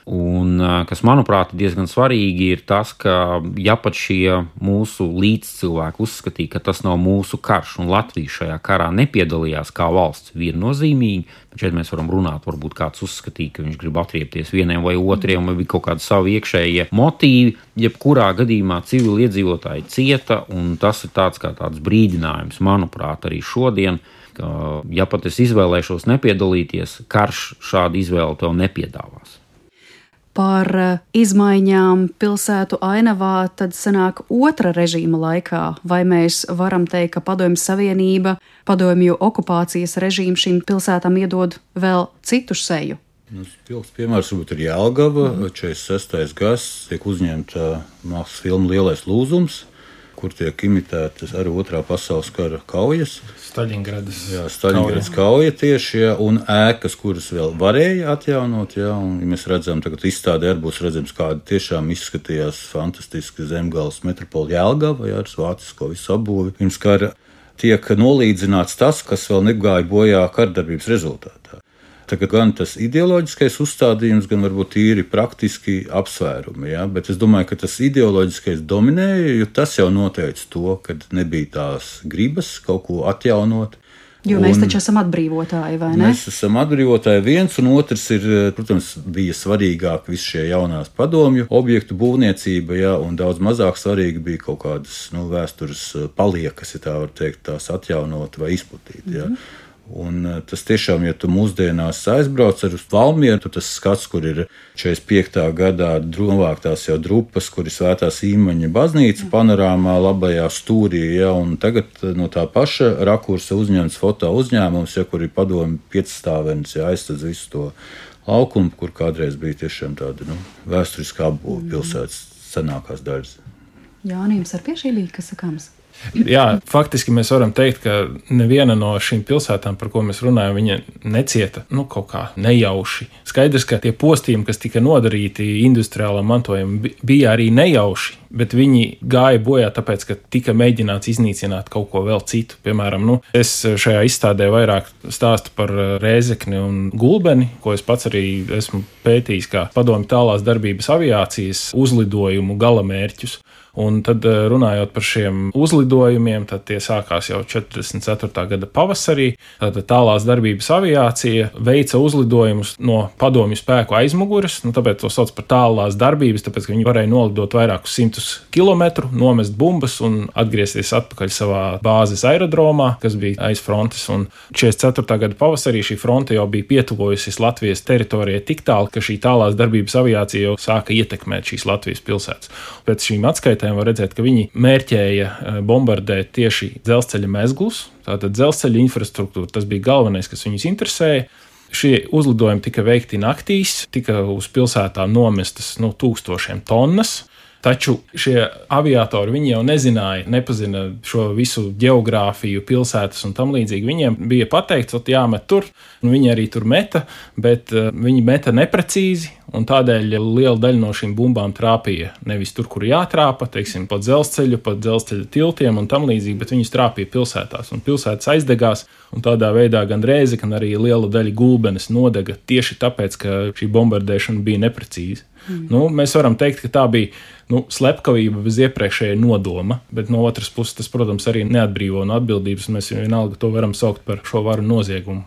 Un kas, manuprāt, diezgan svarīgi ir tas, ka ja pat šie mūsu līdzcilvēki uzskatīja, ka tas nav mūsu karš un Latvija šajā karā nepiedalījās kā valsts viennozīmīgi, bet šeit mēs varam runāt, varbūt kāds uzskatīja, ka viņš grib atriepties vieniem vai otriem, vai bija kaut kādi savi iekšējie motīvi, jebkurā gadījumā civili iedzīvotāji cieta, un tas ir tāds brīdinājums, manuprāt, arī šodien, ka ja pat es izvēlēšos nepiedalīties, karš šādu izvēli tev nepiedāvās. Par izmaiņām pilsētu ainavā tad sanāk otra režīma laikā, vai mēs varam teikt, ka Padomju Savienība, padomju okupācijas režīmu šīm pilsētām iedod vēl citu seju? Pilks piemērs varbūt ir Jelgava, 46. gads, tiek uzņemta mākslas filma Lielais lūzums, kur tiek imitētas arī Otrā pasaules kara kaujas. Staļingradas kauja tieši, un ēkas, kuras vēl varēja atjaunot, un mēs redzam, tagad izstādē arī būs redzams, kāda tiešām izskatījās fantastiski Zemgales metropola Jelgava, ar vācisko visu apbūvi. Pirms kara tiek nolīdzināts tas, kas vēl negāja bojā kardarbības rezultātā. Tagad gan tas ideoloģiskais uzstādījums, gan varbūt tīri praktiski apsvērumi, bet es domāju, ka tas ideoloģiskais dominēja, jo tas jau noteica to, ka nebija tās gribas kaut ko atjaunot. Jo mēs taču esam atbrīvotāji, vai ne? Mēs esam atbrīvotāji viens, un otrs ir, protams, bija svarīgāk visi šie jaunās padomju objektu būvniecība, un daudz mazāk svarīgi bija kaut kādas vēstures paliekas, ja tā var teikt, tās atjaunot vai izplatīt. Un tas tiešām, ja tu mūsdienās aizbrauc ar Valmieru, tad tas skats, kur ir 45. gadā novāktās jau drupas, kur ir Svētās Īmaņa baznīca panorāmā labajā stūrī, un tagad no tā paša rakursa uzņemts foto uzņēmums, kur ir padomju 5 stāvenis, aizstadz visu to laukumu, kur kādreiz bija tiešām tāda vēsturiskā apbūve pilsētas senākās daļas. Jānis, ar pie šī bija, kas sakāms? Jā, faktiski mēs varam teikt, ka neviena no šīm pilsētām, par ko mēs runājam, viņa necieta kaut kā nejauši. Skaidrs, ka tie postījumi, kas tika nodarīti industriālam mantojumam, bija arī nejauši, bet viņi gāja bojā tāpēc, ka tika mēģināts iznīcināt kaut ko vēl citu. Piemēram, es šajā izstādē vairāk stāstu par Rēzekni un Gulbeni, ko es pats arī esmu pētījis kā padomju tālās darbības aviācijas uzlidojumu galamērķus. Un tad runājot par šiem uzlidojumiem, tad tie sākās jau 44. gada pavasarī. Tad tālās darbības aviācija veica uzlidojumus no padomju spēku aizmugures, tāpēc to sauc par tālās darbības, tāpēc, ka viņi varēja nolidot vairākus 100 kilometru, nomest bumbas un atgriezties atpakaļ savā bāzes aerodromā, kas bija aiz frontes. Un 44. gada pavasarī šī fronte jau bija pietuvojusies Latvijas teritorijai tik tālu, ka šī tālās darbības aviācija jau sāka ietekmēt šīs Latvijas pilsētas. Pēc šīm atskaitēm var redzēt, ka viņi mērķēja bombardēt tieši dzelzceļa mezglus, tātad dzelzceļa infrastruktūra. Tas bija galvenais, kas viņus interesēja. Šie uzlidojumi tika veikti naktīs, tika uz pilsētām nomestas 1000 tonnas. Taču šie aviatori, viņi jau nepazina šo visu geogrāfiju, pilsētas un tam līdzīgi. Viņiem bija pateikts, ka jāmet tur, un viņi arī tur meta, bet viņi meta neprecīzi, un tādēļ liela daļa no šīm bumbām trāpīja nevis tur, kur jātrāpa, teiksim, pa dzelzceļa tiltiem un tam līdzīgi, bet viņas trāpīja pilsētās, un pilsētas aizdegās, un tādā veidā gan Rēze, gan arī liela daļa Gulbenes nodega tieši tāpēc, ka šī bombardēšana bija neprecīza. Mēs varam teikt, ka tā bija slepkavība bez iepriekšēja nodoma, bet no otras puses tas, protams, arī neatbrīvo no atbildības, un mēs vienalga to varam saukt par šo varu noziegumu.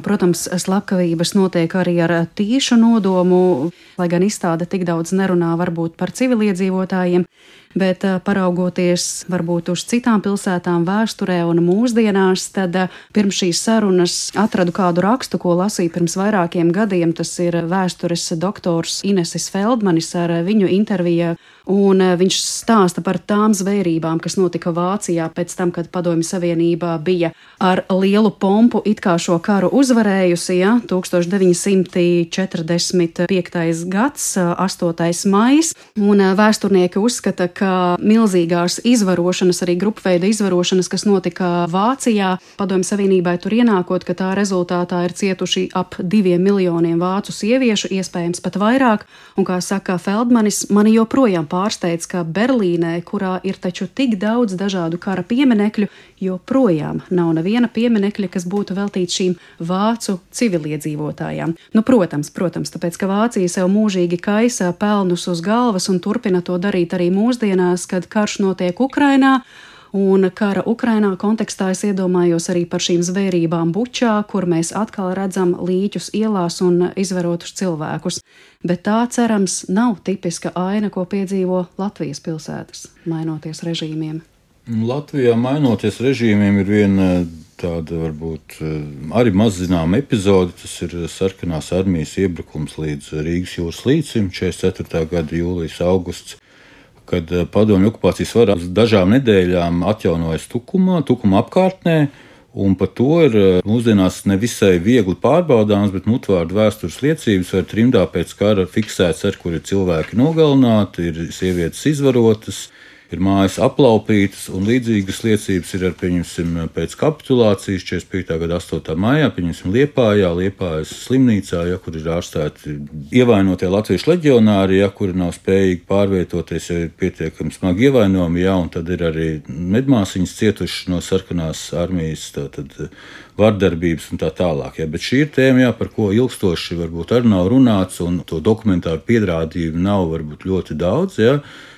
Protams, slepkavības notiek arī ar tīšu nodomu, lai gan izstāde tik daudz nerunā varbūt par civiliedzīvotājiem, bet paraugoties varbūt uz citām pilsētām vēsturē un mūsdienās, tad pirms šīs sarunas atradu kādu rakstu, ko lasīju pirms vairākiem gadiem. Tas ir vēstures doktors Inesis Feldmanis ar viņu interviju, un viņš stāsta par tām zvērībām, kas notika Vācijā pēc tam, kad Padomju Savienībā bija ar lielu pompu it kā šo karu uzvarējusi, 1945. gads, 8. maijs, un vēsturnieki uzskata, ka milzīgās izvarošanas, arī grupveida izvarošanas, kas notika Vācijā, Padomju Savienībai tur ienākot, ka tā rezultātā ir cietuši ap 2 miljoniem vācu sieviešu, iespējams pat vairāk, un kā saka Feldmanis, mani joprojām pārsteidz, ka Berlīnē, kurā ir taču tik daudz dažādu kara pieminekļu, joprojām nav neviena pieminekļa, kas būtu veltīts šīm vācu civiliedzīvotājām. Protams, tāpēc, ka Vācija sev mūžīgi kaisa pelnus uz galvas un turpina to darīt arī mūsdienās, kad karš notiek Ukrainā. Un kara Ukrainā kontekstā es iedomājos arī par šīm zvērībām Bučā, kur mēs atkal redzam līķus ielās un izvarotus cilvēkus. Bet tā, cerams, nav tipiska aina, ko piedzīvo Latvijas pilsētas, mainoties režīmiem. Latvijā mainoties režīmiem ir viena tāda varbūt arī maz zināma epizode. Tas ir sarkanās armijas iebrukums līdz Rīgas jūras līcim, 44. gada jūlijas augusts, kad padomju okupācijas vara uz dažām nedēļām atjaunojas Tukuma apkārtnē, un par to ir mūsdienās nevisai viegli pārbaudāms, bet mutvārdu vēstures liecības var trimdā pēc kara fiksēts, kur ir cilvēki nogalināti, ir sievietes izvarotas, ir mājas aplaupītas, un līdzīgas liecības ir pēc kapitulācijas 45. gada 8. maijā, Liepājas slimnīcā, kur ir ārstēti ievainotie latviešu leģionāri, kuri nav spējīgi pārvietoties, jo ir pietiekami smagi ievainojumi, un tad ir arī medmāsiņas cietušas no sarkanās armijas vardarbības un tā tālāk. Bet šī ir tēma, par ko ilgstoši varbūt arī nav runāts, un to dokumentāru pierādījumu nav varbūt ļoti daudz.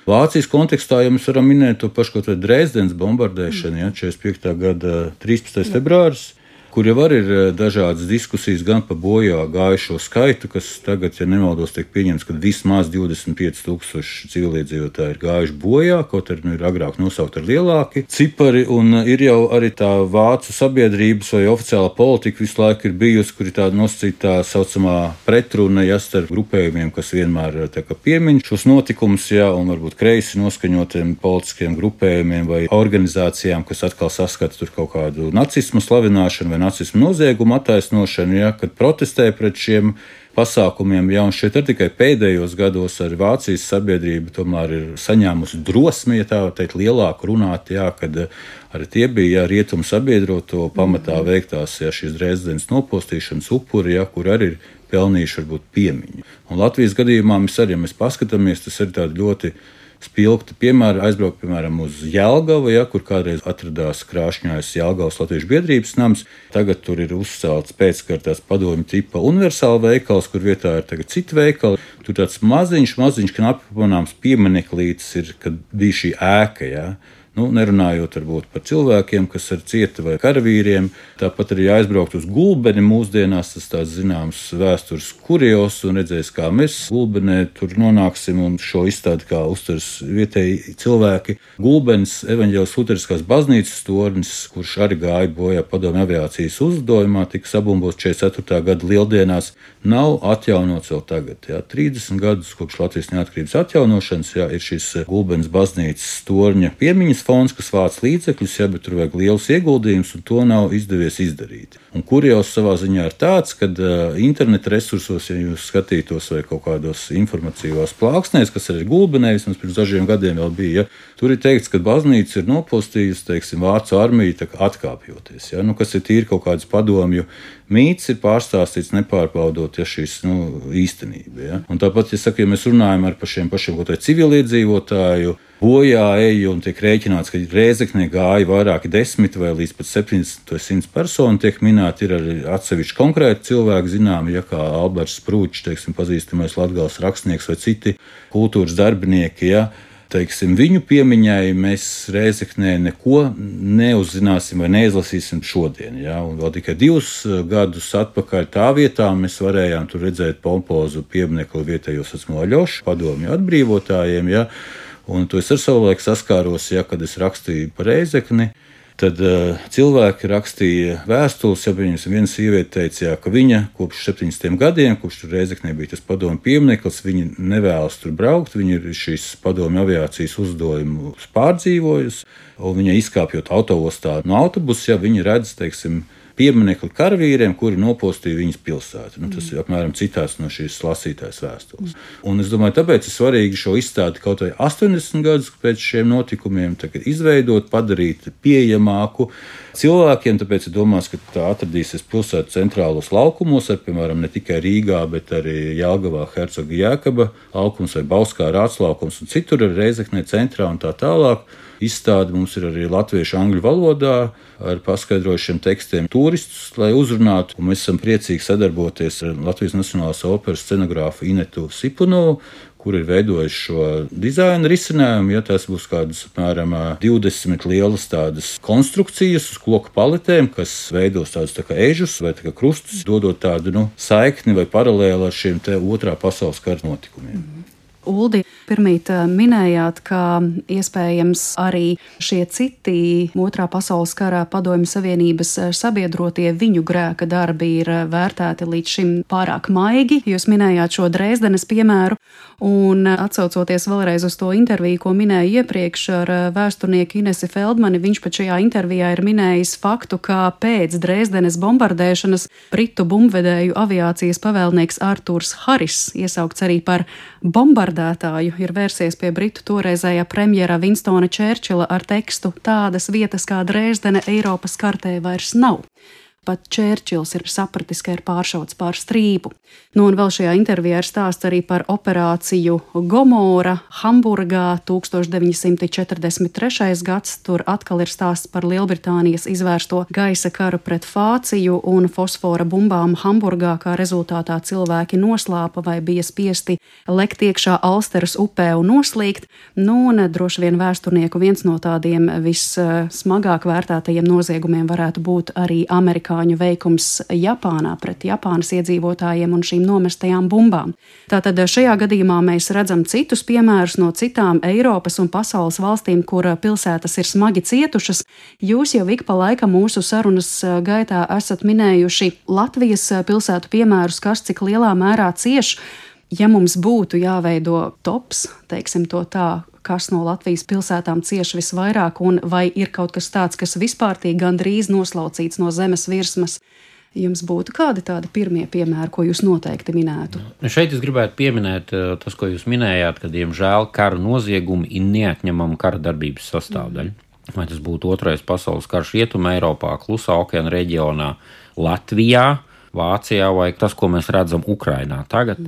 Vācijas kontekstā mēs varam minēt to pašu kaut vai Dresdenes bombardēšanu, 45. gada 13. februāris, kur jau arī ir dažādas diskusijas gan par bojā gājušo skaitu, kas tagad, ja nemaldos, tiek pieņemts, ka vismaz 25,000 civiliedzīvotāji ir gājuši bojā, kaut arī ir agrāk nosaukt ar lielāki cipari, un ir jau arī tā vācu sabiedrības vai oficiālā politika visu laiku ir bijusi, kur ir tāda nosacītā saucamā pretruna starp grupējumiem, kas vienmēr piemin šos notikumus, un varbūt kreisi noskaņotiem politiskiem grupējumiem vai organizācijām, kas atkal saskata tur kaut kādu nacismu slavināšanu vai nacismu noziegumu attaisnošanu, kad protestē pret šiem pasākumiem. Un šeit ir tikai pēdējos gados ar Vācijas sabiedrību tomēr ir saņēmusi drosmi, tā teikt, lielāku runāt, kad arī tie bija rietumu sabiedroto pamatā veiktās šīs Dresdenes nopostīšanas upuri, kur arī ir pelnījuši varbūt piemiņu. Un Latvijas gadījumā mēs paskatāmies, tas ir tādi ļoti spilgti piemēri, aizbraukt, piemēram, uz Jelgavu, kur kādreiz atradās Krāšņājas Jelgavas Latviešu biedrības nams. Tagad tur ir uzcelts pēckartās padomju tipa universāla veikals, kur vietā ir tagad citi veikali. Tur tāds maziņš, knapi pamanāms piemineklis ir, kad bija šī ēka, Nerunājot varbūt par cilvēkiem, kas ir cieti vai karavīriem. Tāpat arī aizbraukt uz Gulbeni mūsdienās, tas tāds zināms vēstures kurios, un redzēs, kā mēs Gulbenē tur nonāksim, un šo izstādi kā uztvers vietēji cilvēki. Gulbenes evaņģēliskās luteriskās baznīcas tornis, kurš arī gāja bojā padomju aviācijas uzlidojumā, tika sabumbots 44. gada lieldienās, nav atjaunots vēl tagad. 30 gadus kopš Latvijas neatkarības atjaunošanas ir šis Gulbenes baznīcas torņa piemiņas fonds, kas vāc līdzekļus, bet tur vajag lielus ieguldījumus, un to nav izdevies izdarīt. Un kurios savā ziņā ir tāds, ka interneta resursos, ja jūs skatītos vai kaut kādos informatīvās plāksnēs, kas arī Gulbenē, vismaz pirms dažiem gadiem vēl bija, tur ir teikts, ka baznīca ir nopostījusi, vācu armiju atkāpjoties, kas ir tīri kaut kādas padomju mīts, ir pārstāstīts nepārbaudot šīs īstenība. Un tāpat, ja mēs runājam par šiem pašiem civiliedzīvotāju bojā eju un tiek rēķināts, ka Rēzeknē gāja vairāki 10 vai līdz pat 70 vai 100 personu, tiek minēti ir arī atsevišķi konkrēti cilvēki zināmi, kā Alberts Sprūčs, pazīstamais latgales rakstnieks vai citi kultūras darbinieki, viņu piemiņai mēs Rēzeknē neko neuzzināsim vai neizlasīsim šodien. Un vēl tikai 2 gadus atpakaļ tā vietā mēs varējām tur redzēt pompozu pieminekli vietējo saucamo Aļošu padomju atbrīvotājiem. Un to es ar savulaik saskāros, kad es rakstīju par Rēzekni. Tad cilvēki rakstīja vēstules, viena sieviete teica, ka viņa kopš 70 gadiem, kopš tur Rēzeknē bija tas padomju piemineklis, viņa nevēlas tur braukt, viņa ir šīs padomju aviācijas uzlidojumus pārdzīvojusi, un viņa izkāpjot autoostā no autobusa, viņa redz, pieminekli karavīriem, kuri nopostīja viņas pilsētu. Tas ir apmēram citāts no šīs lasītājas vēstules. Un es domāju, tāpēc ir svarīgi šo izstādi kaut vai 80 gadus pēc šiem notikumiem izveidot, padarīt pieejamāku cilvēkiem, tāpēc ir domāts, ka tā atradīsies pilsētu centrālos laukumos, piemēram, ne tikai Rīgā, bet arī Jelgavā, Hercoga Jēkaba laukums vai Bauskā Rāts laukums, un citur ir Rēzeknē centrā un tā tālāk. Izstāde mums ir arī latviešu angļu valodā ar paskaidrojušiem tekstiem turistus, lai uzrunātu. Un mēs esam priecīgi sadarboties ar Latvijas Nacionālās operas scenogrāfu Inetu Sipunu, kur ir veidojuši šo dizaina risinājumu. Tas būs kādas apmēram 20 lielas tādas konstrukcijas uz koku paletēm, kas veidos tādus kā ežus vai krustus, dodot tādu saikni vai paralēli ar šiem otrā pasaules kara notikumiem. Uldi, pirmīt minējāt, ka iespējams arī šie citi Otrā pasaules karā Padomju Savienības sabiedrotie viņu grēka darbi ir vērtēti līdz šim pārāk maigi. Jūs minējāt šo Dresdenes piemēru, un atsaucoties vēlreiz uz to interviju, ko minēju iepriekš ar vēsturnieku Inesi Feldmani, viņš pat šajā intervijā ir minējis faktu, ka pēc Dresdenes bombardēšanas britu bumbvedēju aviācijas pavēlnieks Arturs Haris, iesaukts arī par bombardētāju, ir vērsies pie britu toreizējā premjera Winstona Čērčila ar tekstu "Tādas vietas kā Dresdene Eiropas kartē vairs nav". Pat Čērčils ir sapratis, ka ir pāršauts pār strīpu. Un vēl šajā intervijā ir stāsts arī par operāciju Gomora Hamburgā 1943. gads. Tur atkal ir stāsts par Lielbritānijas izvērsto gaisa karu pret Fāciju un fosfora bumbām Hamburgā, kā rezultātā cilvēki noslāpa vai bija spiesti lekt iekšā Alsteras upē un noslīgt. Un droši vien vēsturnieku viens no tādiem vissmagāk vērtētajiem noziegumiem varētu būt arī amerikāņu veikums Japānā pret Japānas iedzīvotājiem un šīm nomestajām bumbām. Tātad šajā gadījumā mēs redzam citus piemērus no citām Eiropas un pasaules valstīm, kur pilsētas ir smagi cietušas. Jūs jau ik pa laikam mūsu sarunas gaitā esat minējuši Latvijas pilsētu piemērus, kas cik lielā mērā cieš. Ja mums būtu jāveido tops, teiksim to tā, kas no Latvijas pilsētām cieš visvairāk, un vai ir kaut kas tāds, kas vispārtīgi gandrīz noslaucīts no zemes virsmas, jums būtu kādi tādi pirmie piemēri, ko jūs noteikti minētu? Šeit es gribētu pieminēt tas, ko jūs minējāt, ka, diemžēl, kara noziegumi ir neatņemama kara darbības sastāvdaļa. Vai tas būtu Otrais pasaules karš Rietumē Eiropā, Klusā okeāna reģionā, Latvijā, Vācijā vai tas, ko mēs redzam Ukrainā tagad.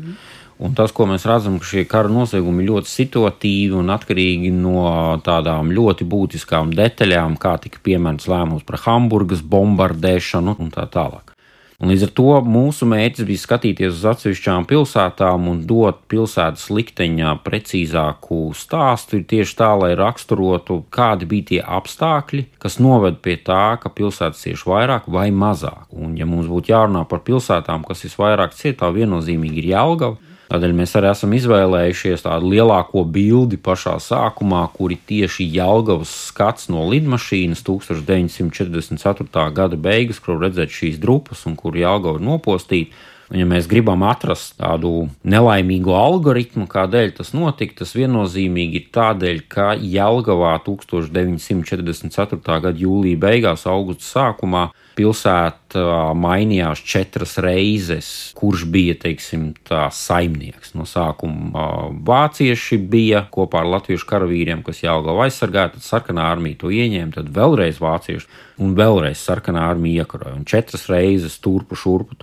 Un tas, ko mēs redzam, ka šie kara noziegumi ir ļoti situatīvi un atkarīgi no tādām ļoti būtiskām detaļām, kā tika pieņemts lēmums par Hamburgas bombardēšanu un tā tālāk. Un līdz ar to mūsu mērķis bija skatīties uz atsevišķām pilsētām un dot pilsētas likteņā precīzāku stāstu tieši tā, lai raksturotu, kādi bija tie apstākļi, kas noved pie tā, ka pilsētas cieš vairāk vai mazāk. Un ja mums būtu jārunā par pilsētām, kas visvairāk cieš, tā viennozīmīgi ir Jelgava. Tādēļ mēs arī esam izvēlējušies tādu lielāko bildi pašā sākumā, kuri tieši Jelgavas skats no lidmašīnas 1944. Gada beigas, kur redzēt šīs drupas un kur Jelgava ir nopostīta. Un, ja mēs gribam atrast tādu nelaimīgu algoritmu, kādēļ tas notika, tas viennozīmīgi ir tādēļ, ka Jelgavā 1944. Gada jūlija beigās, augusta sākumā pilsēta mainījās 4 reizes, kurš bija, teiksim, tā saimnieks. No sākuma vācieši bija kopā ar latviešu karavīriem, kas Jelgavu aizsargāja, tad sarkanā armija to ieņēma, tad vēlreiz vācieši un vēlreiz sarkanā armija iekaroja. Un 4 reizes turpu šurpu,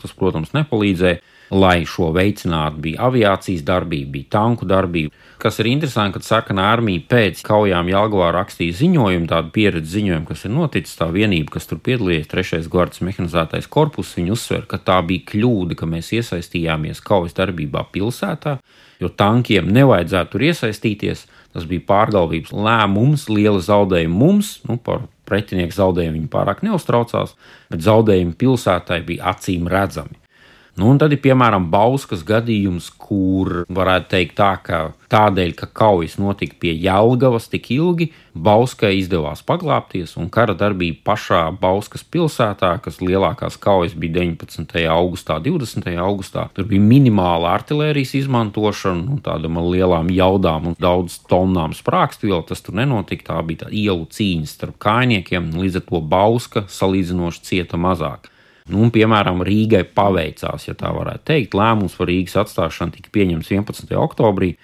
tas, protams, nepalīdzēja. Lai šo veicinātu, bija aviācijas darbība, bija tanku darbība. Kas ir interesanti, kad sarkanā armija pēc kaujām Jelgavā rakstīja ziņojumu, tādu pieredzi ziņojumu, kas ir noticis, tā vienība, kas tur piedalījies, 3. gvardas mehanizētais korpus, viņi uzsver, ka tā bija kļūda, ka mēs iesaistījāmies kaujas darbībā pilsētā, jo tankiem nevajadzētu tur iesaistīties. Tas bija pārgalvības lēmums, liela zaudējuma mums, par pretinieku zaudējumu viņi pārāk neuztraucās, bet zaudējumi pilsētai bija acīm redzami. Un tad ir, piemēram, Bauskas gadījums, kur varētu teikt tā, ka tādēļ, ka kaujas notika pie Jelgavas tik ilgi, Bauskai izdevās paglābties, un kara darbība pašā Bauskas pilsētā, kas lielākās kaujas bija 19. augustā, 20. augustā, tur bija minimāla artilērijas izmantošana, tādām lielām jaudām un daudz tonnām sprākstvielu, tas tur nenotika, tā bija tā ielu cīņa starp kājniekiem, līdz ar to Bauska salīdzinoši cieta mazāk. Piemēram, Rīgai paveicās, ja tā varētu teikt. Lēmums par Rīgas atstāšanu tika pieņemts 11. oktobrī,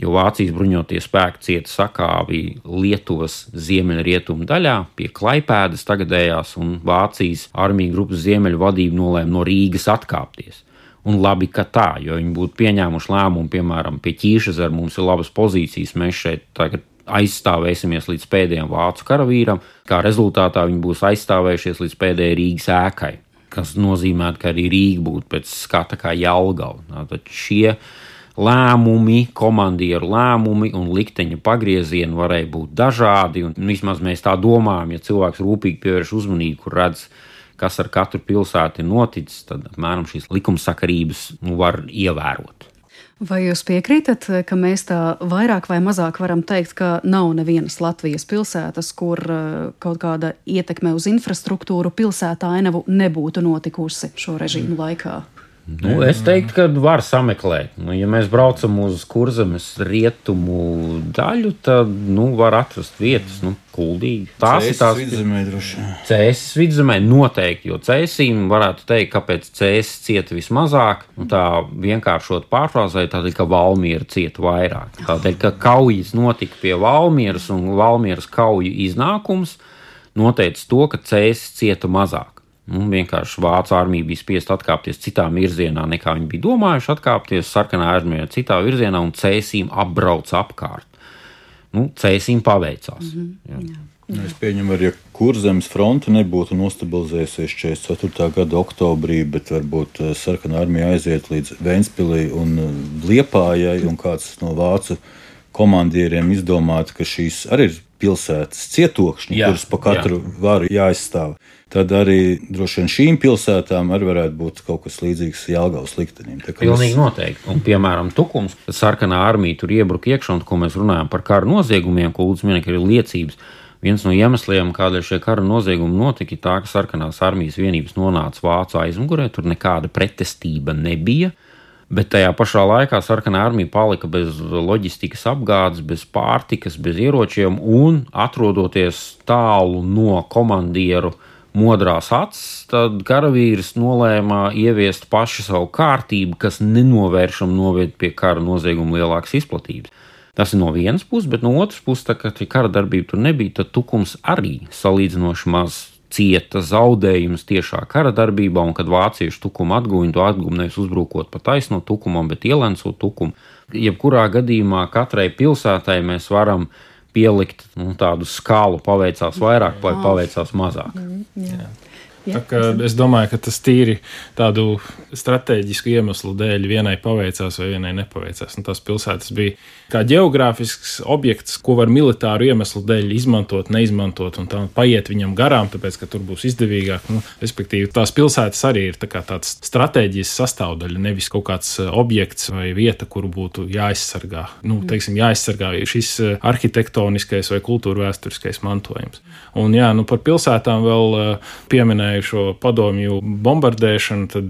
jo Vācijas bruņotie spēki cieta sakāvi Lietuvas ziemeļrietumu daļā pie Klaipēdas tagadējās, un Vācijas armija grupas ziemeļu vadība nolēma no Rīgas atkāpties. Un labi, ka tā, jo viņi būtu pieņēmuši lēmumu, piemēram, pie Ķīšezeru mums ir labas pozīcijas, mēs šeit tagad aizstāvēsimies līdz pēdējiem vācu karavīram, kā rezultātā viņi būs aizstāvējušies līdz pēdējai Rīgas ēkai, kas nozīmē, ka arī Rīga būtu pēc skata kā Jelgava. Tad šie lēmumi, komandieru lēmumi un likteņa pagriezieni varēja būt dažādi, un vismaz mēs tā domājam, ja cilvēks rūpīgi pievērš uzmanību, kur redz, kas ar katru pilsētu ir noticis, tad apmēram šīs likumsakarības var ievērot. Vai jūs piekrītat, ka mēs tā vairāk vai mazāk varam teikt, ka nav nevienas Latvijas pilsētas, kur kaut kāda ietekme uz infrastruktūru pilsētā ainavu nebūtu notikusi šo režīmu laikā? Es teiktu, ka var sameklēt. Ja mēs braucam uz Kurzemes rietumu daļu, tad var atrast vietas, kuldīgi. Cēsis vidzemē droši. Cēsis vidzemē noteikti, jo Cēsīm varētu teikt, kāpēc Cēsis cieta vismazāk. Tā vienkāršot pārfrāzēt, tādēļ, ka Valmiera cieta vairāk. Tādēļ, ka kaujas notika pie Valmieras un Valmieras kauju iznākums noteica to, ka Cēsis cieta mazāk. Vienkārši Vācu armija bija spiest atkāpties citā virzienā, nekā viņi bija domājuši atkāpties, sarkanā armija citā virzienā un Cēsīm apbrauca apkārt. Cēsīm paveicās. Es pieņemu arī, ja Kurzemes fronte nebūtu nostabilizējusies 44. gada oktobrī, bet varbūt sarkanā armija aiziet līdz Ventspilī un Liepājai, un kāds no vācu komandieriem izdomātu, ka šīs arī ir pilsētas cietokšņi, kuras pa katru varu jāizstāv. Tad arī droši vien šīm pilsētām arī varētu būt kaut kas līdzīgs Jelgavas liktenim. Pilnīgi noteikti. Un, piemēram, Tukums, kad sarkanā armija tur iebruka iekšā, un ko mēs runājam par kara noziegumiem, ko Ulds minēja, ka ir liecības. Viens no iemesliem, kādēļ šie kara noziegumi notika, ir tā, ka sarkanās armijas vienības nonāca Vācu aizmugurē, tur nekāda pretestība nebija. Bet tajā pašā laikā sarkanā armija palika bez loģistikas apgādes, bez pārtikas, bez ieročiem un atrodoties tālu no komandieru modrās acis, tad karavīrs nolēma ieviest paši savu kārtību, kas nenovēršam noved pie kara nozieguma lielākas izplatības. Tas ir no vienas puses, bet no otras puses, tā kā kara darbība tur nebija, tad Tukums arī salīdzinoši maz cieta zaudējumus tiešā kara darbībā, un kad vācieši Tukumu atguva, viņi to atguva nevis uzbrukot pa taisno Tukumam, bet ielencot Tukumu. Jebkurā gadījumā katrai pilsētai mēs varam pielikt tādu skalu, paveicās vairāk vai paveicās mazāk. Es domāju, ka tas tīri tādu strateģisku iemeslu dēļ vienai paveicās vai vienai nepaveicās. Un tās pilsētas bija kā ģeogrāfisks objekts, ko var militāru iemeslu dēļ izmantot, neizmantot un tā paiet viņam garām, tāpēc, ka tur būs izdevīgāk. Respektīvi, tās pilsētas arī ir tāds stratēģijas sastāvdaļa, nevis kaut kāds objekts vai vieta, kuru būtu jāaizsargā. Jāaizsargā šis arhitektoniskais vai kultūrvēsturiskais mantojums. Un par pilsētām vēl pieminēju šo padomju bombardēšanu, tad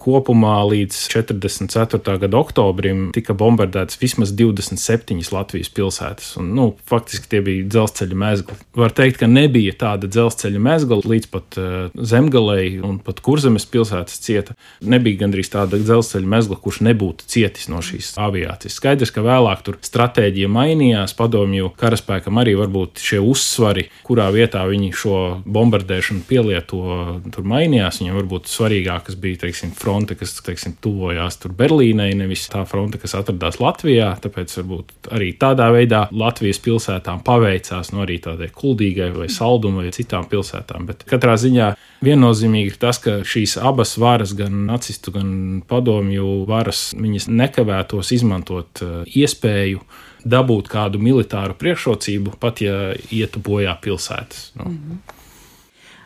kopumā līdz 44. gada oktobrim tika bombardētas vismaz 27 Latvijas pilsētas. Un, faktiski tie bija dzelzceļa mezgli. Var teikt, ka nebija tāda dzelzceļa mezgla līdz pat Zemgalei un pat Kurzemes pilsētas cieta. Nebija gandrīz tāda dzelzceļa mezgla, kurš nebūtu cietis no šīs aviācijas. Skaidrs, ka vēlāk tur stratēģija mainījās, padomju karaspēkam arī varbūt šie uzsvari, kurā vietā viņi šo bombardēšanu pielieto, tur mainījās. Viņam varbūt svarīgākas bija, fronte, kas, tuvojās tur Berlīnei, nevis tā fronte, kas atradās Latvijā. Tāpēc varbūt arī tādā veidā Latvijas pilsētām paveicās, arī tādai Kuldīgai vai Saldum vai citām pilsētām. Bet katrā ziņā viennozīmīgi ir tas, ka šīs abas varas, gan nacistu, gan padomju varas, viņas nekavētos izmantot iespēju dabūt kādu militāru priekšrocību, pat ja ietu bojā pilsētas.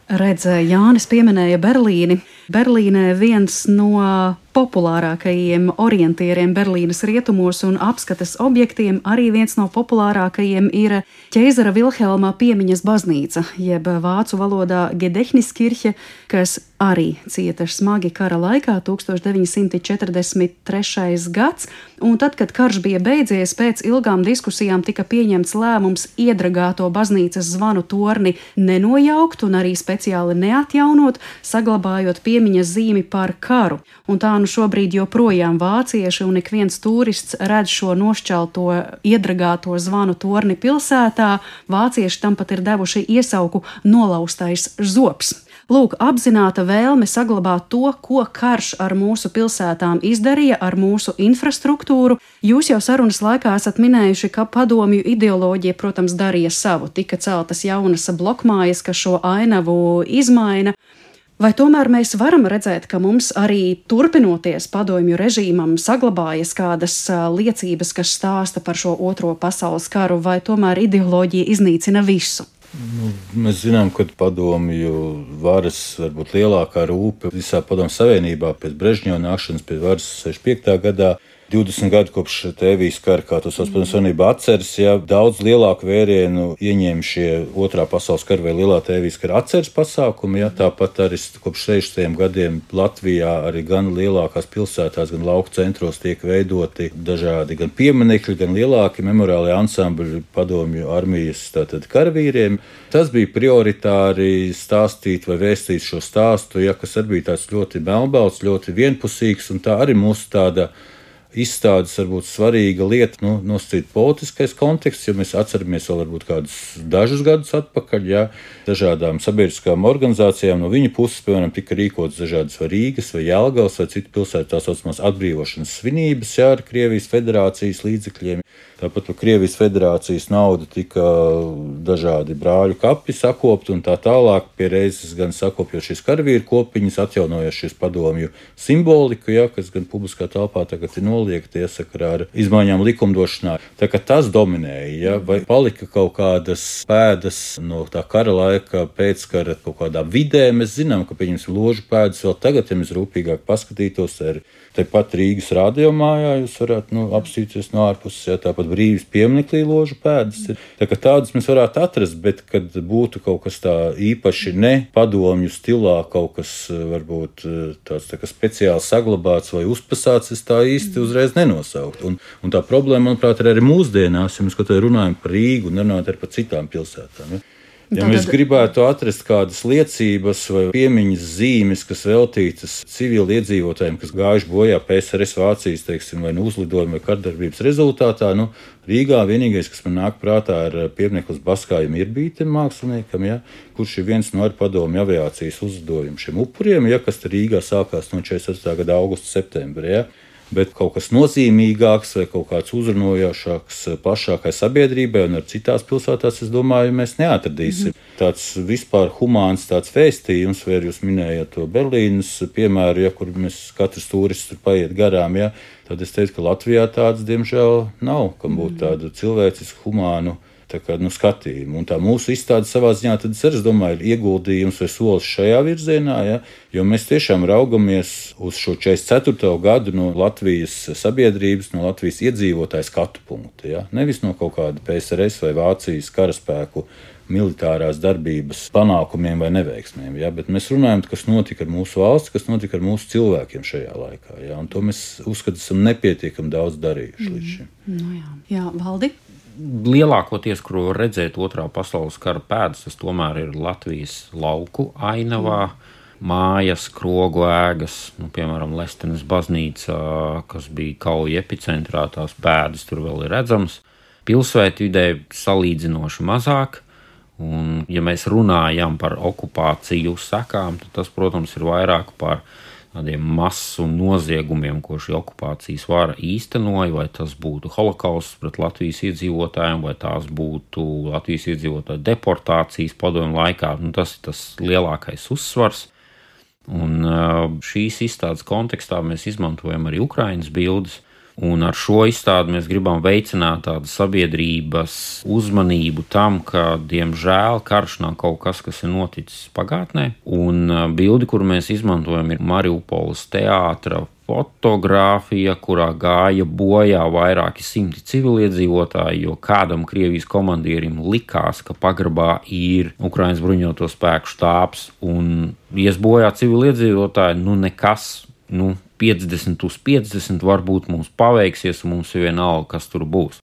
Redz, Jānis pieminēja Berlīni. Berlīnē viens no populārākajiem orientieriem Berlīnes rietumos un apskates objektiem, arī viens no populārākajiem ir ķeizara Vilhelma piemiņas baznīca, jeb vācu valodā Gedehniskirche, kas arī cieta smagi kara laikā, 1943. gads. Un tad, kad karš bija beidzies, pēc ilgām diskusijām tika pieņemts lēmums iedragāto baznīcas zvanu torni nenojaukt un arī speciāli neatjaunot, saglabājot piemiņas zīmi par karu. Un tā šobrīd joprojām vācieši un ik viens turists redz šo nošķelto iedragāto zvanu torni pilsētā. Vācieši tam pat ir devuši iesauku nolaustais zobs. Lūk, apzināta vēlme saglabāt to, ko karš ar mūsu pilsētām izdarīja, ar mūsu infrastruktūru. Jūs jau sarunas laikā esat minējuši, ka padomju ideoloģija, protams, darīja savu. Tika celtas jaunas blokmājas, kas šo ainavu izmaina. Vai tomēr mēs varam redzēt, ka mums arī turpinoties padomju režīmam saglabājas kādas liecības, kas stāsta par šo Otro pasaules karu, vai tomēr ideoloģija iznīcina visu? Mēs zinām, ka padomju varas varbūt lielākā rūpe visā padomju savienībā pēc Brežņeva nākšanas pie varas 65. gadā. 20 gadu kopš Tēvijas kara, kā to sauc padomju savienība, atceres, daudz lielāku vērienu ieņēma šie Otrā pasaules kara vai Lielā Tēvijas kara atceres pasākumi. Tāpat arī kopš 60. gadiem Latvijā arī gan lielākās pilsētās, gan lauku centros tiek veidoti dažādi gan pieminekļi, gan lielāki memoriālie ansambļi padomju armijas karavīriem. Tas bija prioritāri stāstīt vai vēstīt šo stāstu, kas arī bija tāds ļoti melnbalts, ļoti vienpusīgs, un tā arī mūsu tāda izstādes varbūt svarīga lieta, nosacīt politiskais konteksts, jo mēs atceramies vēl varbūt kādus dažus gadus atpakaļ, dažādām sabiedriskām organizācijām no viņa puses, piemēram, tika rīkotas dažādas vai Rīgas vai Jelgavas vai citu pilsētu tā saucamās atbrīvošanas svinības, ar Krievijas federācijas līdzekļiem. Tāpat par Krievijas federācijas naudu tika dažādi brāļu kapi sakopti un tā tālāk, pie reizes gan sakopjot šīs karavīru kopiņas, atjaunojot šīs padomju simboliku, kas gan publiskā telpā tagad ir noliegta iesakarā ar izmaiņām likumdošanā. Tā kā tas dominēja, vai palika kaut kādas pēdas no tā kara laika, pēckara kaut kādā vidē. Mēs zinām, ka pieņemsim ložu pēdas vēl tagad, ja mēs rūpīgāk paskatītos, tepat Rīgas radiomājā jūs varētu apstīties no ārpuses, tāpat Brīvības pieminekļī ložu pēdas ir. Tā kā tādas mēs varētu atrast, bet kad būtu kaut kas tā īpaši ne padomju stilā, kaut kas varbūt tāds tā kā speciāli saglabāts vai uzpasāts, es tā īsti uzreiz nenosaukt. Un tā problēma, manuprāt, ir arī mūsdienās, ja mēs kaut kā runājam par Rīgu un runājam arī par citām pilsētām. Ja mēs gribētu atrast kādas liecības vai piemiņas zīmes, kas veltītas civili iedzīvotājiem, kas gājuši bojā PSRS Vācijas, vai uzlidojuma vai kardarbības rezultātā, Rīgā vienīgais, kas man nāk prātā, ir piemineklis Baskājam Irbītam māksliniekam, kurš ir viens no padomju aviācijas uzlidojumu šiem upuriem, kas Rīgā sākās no 48. gada augusta septembra. bet kaut kas nozīmīgāks vai kaut kāds uzrunojošāks plašākai sabiedrībai un ar citās pilsētās, es domāju, mēs neatradīsim. Tāds vispār humāns tāds vēstījums, vai jūs minējāt to Berlīnas piemēru, kur mēs katrs turists tur paiet garām, tad es teicu, ka Latvijā tāds, diemžēl, nav, kam būtu tādu cilvēcisku, humānu skatījumu. Un tā mūsu izstāde savā ziņā, tad es domāju, ir ieguldījums vai solis šajā virzienā, jo mēs tiešām raugamies uz šo 44. gadu no Latvijas sabiedrības, no Latvijas iedzīvotāju skatu punkta. Nevis no kaut kāda PSRS vai Vācijas karaspēku militārās darbības panākumiem vai neveiksmēm, bet mēs runājam, kas notika ar mūsu valsts, kas notika ar mūsu cilvēkiem šajā laikā. Un to mēs uzskatām, esam nepietiekami daudz darījuši līdz šim. Jā, Valdi? Lielākoties, kur var redzēt otrā pasaules kara pēdas, tas tomēr ir Latvijas lauku ainavā. Mājas, krogu ēgas, piemēram, Lestenes baznīca, kas bija kauja epicentrā, tās pēdas tur vēl ir redzamas. Pilsētvidē salīdzinoši mazāk. Un, ja mēs runājam par okupāciju sekām, tad tas, protams, ir vairāk par tādiem masu noziegumiem, ko šī okupācijas vara īstenoja, vai tas būtu holokausts pret Latvijas iedzīvotājiem, vai tās būtu Latvijas iedzīvotāju deportācijas padomju laikā. Tas ir tas lielākais uzsvars. Un šīs izstādes kontekstā mēs izmantojam arī Ukrainas bildes. Un ar šo izstādi mēs gribam veicināt tādu sabiedrības uzmanību tam, ka, diemžēl, karš nav kaut kas, kas ir noticis pagātnē. Un bildi, kuru mēs izmantojam, ir Mariupoles teātra fotogrāfija, kurā gāja bojā vairāki simti civiliedzīvotāji, jo kādam Krievijas komandierim likās, ka pagrabā ir Ukrainas bruņoto spēku štābs un ies bojā civiliedzīvotāji, nekas. 50 uz 50 varbūt mums paveiksies, un mums ir vienalga, kas tur būs.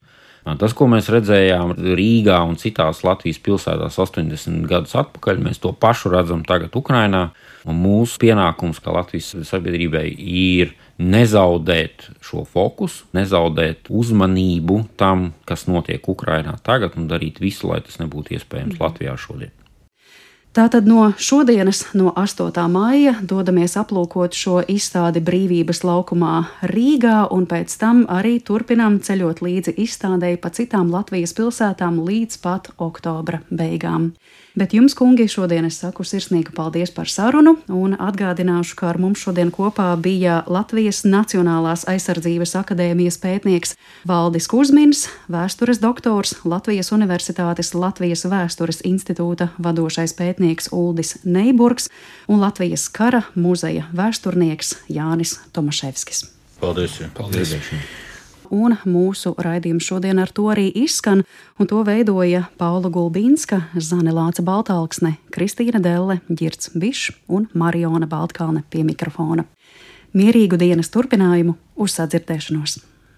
Tas, ko mēs redzējām Rīgā un citās Latvijas pilsētās 80 gadus atpakaļ, mēs to pašu redzam tagad Ukrainā. Un mūsu pienākums, kā Latvijas sabiedrībai, ir nezaudēt šo fokusu, nezaudēt uzmanību tam, kas notiek Ukrainā tagad, un darīt visu, lai tas nebūtu iespējams Latvijā šodien. Tātad no šodienas, no 8. maija, dodamies aplūkot šo izstādi Brīvības laukumā Rīgā, un pēc tam arī turpinām ceļot līdzi izstādei pa citām Latvijas pilsētām līdz pat oktobra beigām. Bet jums, kungi, šodien es saku sirsnīgu paldies par sarunu, un atgādināšu, ka ar mums šodien kopā bija Latvijas Nacionālās aizsardzības akadēmijas pētnieks Valdis Kuzmins, vēstures doktors, Latvijas Universitātes Latvijas vēstures institūta vadošais pētnieks Uldis Neiburgs un Latvijas kara muzeja vēsturnieks Jānis Tomaševskis. Paldies! Paldies. Un mūsu raidījums šodien ar to arī izskan, un to veidoja Paula Gulbīnska, Zane Lāca Baltalksne, Kristīna Delle, Ģirds Bišs un Mariona Baltkalne pie mikrofona. Mierīgu dienas turpinājumu, uz sadzirdēšanos!